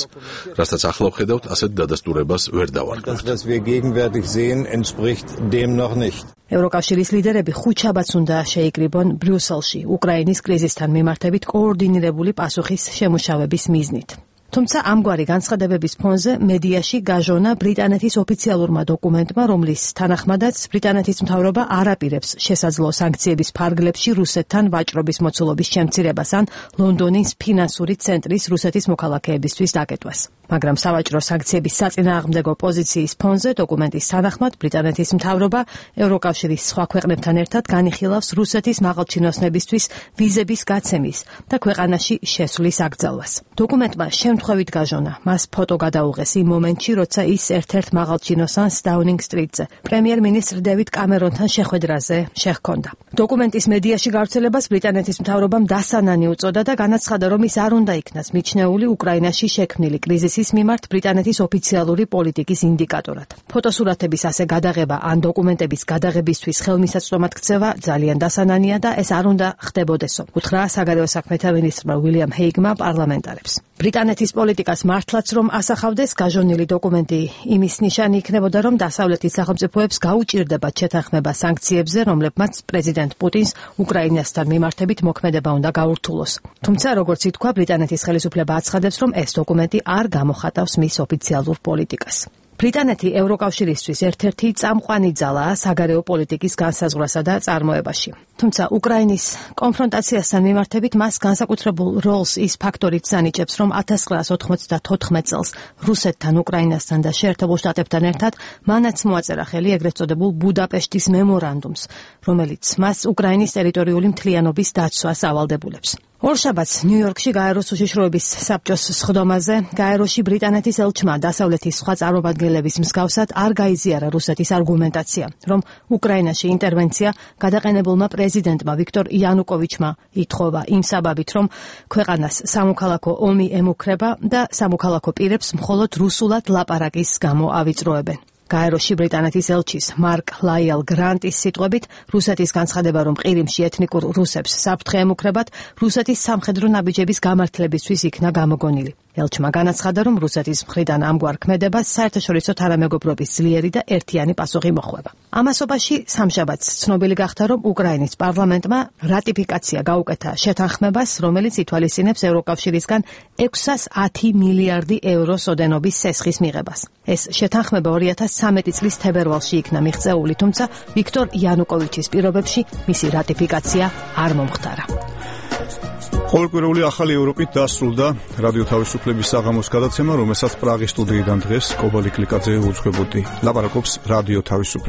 რასაც ახლა ვხედავთ, ასეთ დადასტურებას ვერ დავარქმევთ. Das, was wir gegenwärtig sehen, entspricht dem noch nicht. ევროკავშირის ლიდერები ხუთშაბათს უნდა შეიკრიბონ ბრიუსელში უკრაინის კრიზისთან მიმართებით კოორდინირებული პასუხის შემუშავების მიზნით. თუმცა ამგვარი განცხადებების ფონზე მედიაში გაჟონა ბრიტანეთის ოფიციალურმა დოკუმენტმა, რომლის თანახმადაც ბრიტანეთის მთავრობა არ აპირებს შესაძლო სანქციების ფარგლებში რუსეთთან ვაჭრობის მოცულობის შემცირებას ან ლონდონის ფინანსური ცენტრის რუსეთის მოქალაქეებისთვის დაკეტვას. მაგრამ სავაჭრო სანქციების საწინააღმდეგო პოზიციის ფონზე დოკუმენტის თანახმად ბრიტანეთის მთავრობა ევროკავშირის სხვა ქვეყნებთან ერთად განიხილავს რუსეთის მაღალჩინოსნებისთვის ვიზების გაცემის და ქვეყანაში შესვლის აკრძალვას. დოკუმენტმა შემთხვევით გაჟონა, მას ფოტო გადაუღეს იმ მომენტში, როცა ის ერთ-ერთ მაღალჩინოსანს დაუნინგ სტრიტზე პრემიერ-მინისტრ დევიდ კამერონთან შეხვედრაზე შეჰქონდა. დოკუმენტის მედიაში გავრცელებას ბრიტანეთის მთავრობამ დასანანი უწოდა და განაცხადა, რომ ის არ უნდა იქნას მიჩნეული უკრაინაში შექმნილი კრიზისის მიმართ ბრიტანეთის ოფიციალური პოლიტიკის ინდიკატორად. ფოტოსურათების ასე გადაღება ან დოკუმენტების გადაღებისთვის ხელმისაწვდომად ქცევა ძალიან დასანანია და ეს არ უნდა ხდებოდესო, უთხრა საგარეო საქმეთა მინისტრმა უილიამ ჰეიგმა პარლამენტარებს. ბრიტანეთის პოლიტიკას მართლაც რომ ასახავდეს, გაჟონილი დოკუმენტი იმის ნიშანი იქნებოდა, რომ დასავლეთის სახელმწიფოებს გაუჭირდებათ შეთანხმება სანქციებზე, რომლებმაც პრეზიდენტ პუტინს უკრაინასთან მიმართებით მოქმედება უნდა გაურთულოს. თუმცა, როგორც ითქვა, ბრიტანეთის ხელისუფლება აცხადებს, რომ ეს დოკუმენტი არ გამოხატავს მის ოფიციალურ პოლიტიკას. ბრიტანეთი ევროკავშირისთვის ერთ-ერთი წამყვანი ძალაა საგარეო პოლიტიკის განსაზღვრასა და წარმოებაში. თუმცა უკრაინის კონფრონტაციასთან მიმართებით მას განსაკუთრებულ როლს ის ფაქტორიც ანიჭებს, რომ ათას ცხრაას ოთხმოცდათოთხმეტ წელს რუსეთთან, უკრაინასთან და შეერთებულ შტატებთან ერთად მანაც მოაწერა ხელი ეგრეთ წოდებულ ბუდაპეშტის მემორანდუმს, რომელიც მას უკრაინის ტერიტორიული მთლიანობის დაცვას ავალდებულებს. ორშაბათს ნიუ-იორკში გაეროს უშიშროების საბჭოს სხდომაზე გაეროში ბრიტანეთის ელჩმა დასავლეთის სხვა წარმომადგენლების მსგავსად არ გაიზიარა რუსეთის არგუმენტაცია, რომ უკრაინაში ინტერვენცია გადაყენებულმა პრეზიდენტმა ვიქტორ იანუკოვიჩმა ითხოვა იმ საბაბით, რომ ქვეყანას სამოქალაქო ომი ემუქრება და სამოქალაქო პირებს მხოლოდ რუსულად ლაპარაკის გამო ავიწროებენ. გაეროში ბრიტანეთის ელჩის მარკ ლაიელ გრანტის სიტყვებით, რუსეთის განცხადება, რომ ყირიმში ეთნიკურ რუსებს საფრთხე ემუქრებათ, რუსეთის სამხედრო ნაბიჯების გამართლებისთვის იქნა გამოგონილი. ელჩმა განაცხადა, რომ რუსეთის მხრიდან ამგვარ ქმედებას საერთაშორისო თანამეგობრობის ძლიერი და ერთიანი პასუხი მოხვება. ამასობაში სამშაბათს ცნობილი გახდა, რომ უკრაინის პარლამენტმა რატიფიკაცია გაუკეთა შეთანხმებას, რომელიც ითვალისწინებს ევროკავშირისგან ექვსას ათი მილიარდი ევროს ოდენობის სესხის მიღებას. ეს შეთანხმება ორი ათას ცხრამეტი წლის თებერვალში იქნა მიღწეული, თუმცა ვიქტორ იანუკოვიჩის პირობებში მისი რატიფიკაცია არ მომხდარა. ყოველკვირეული ახალი ევროპით დასრულდა რადიო თავისუფლების საღამოს გადაცემა, რომელსაც პრაღის სტუდიიდან დღეს კობალი კლიკაძე უძღვებოდი. ლაპარაკობს რადიო თავისუფლება.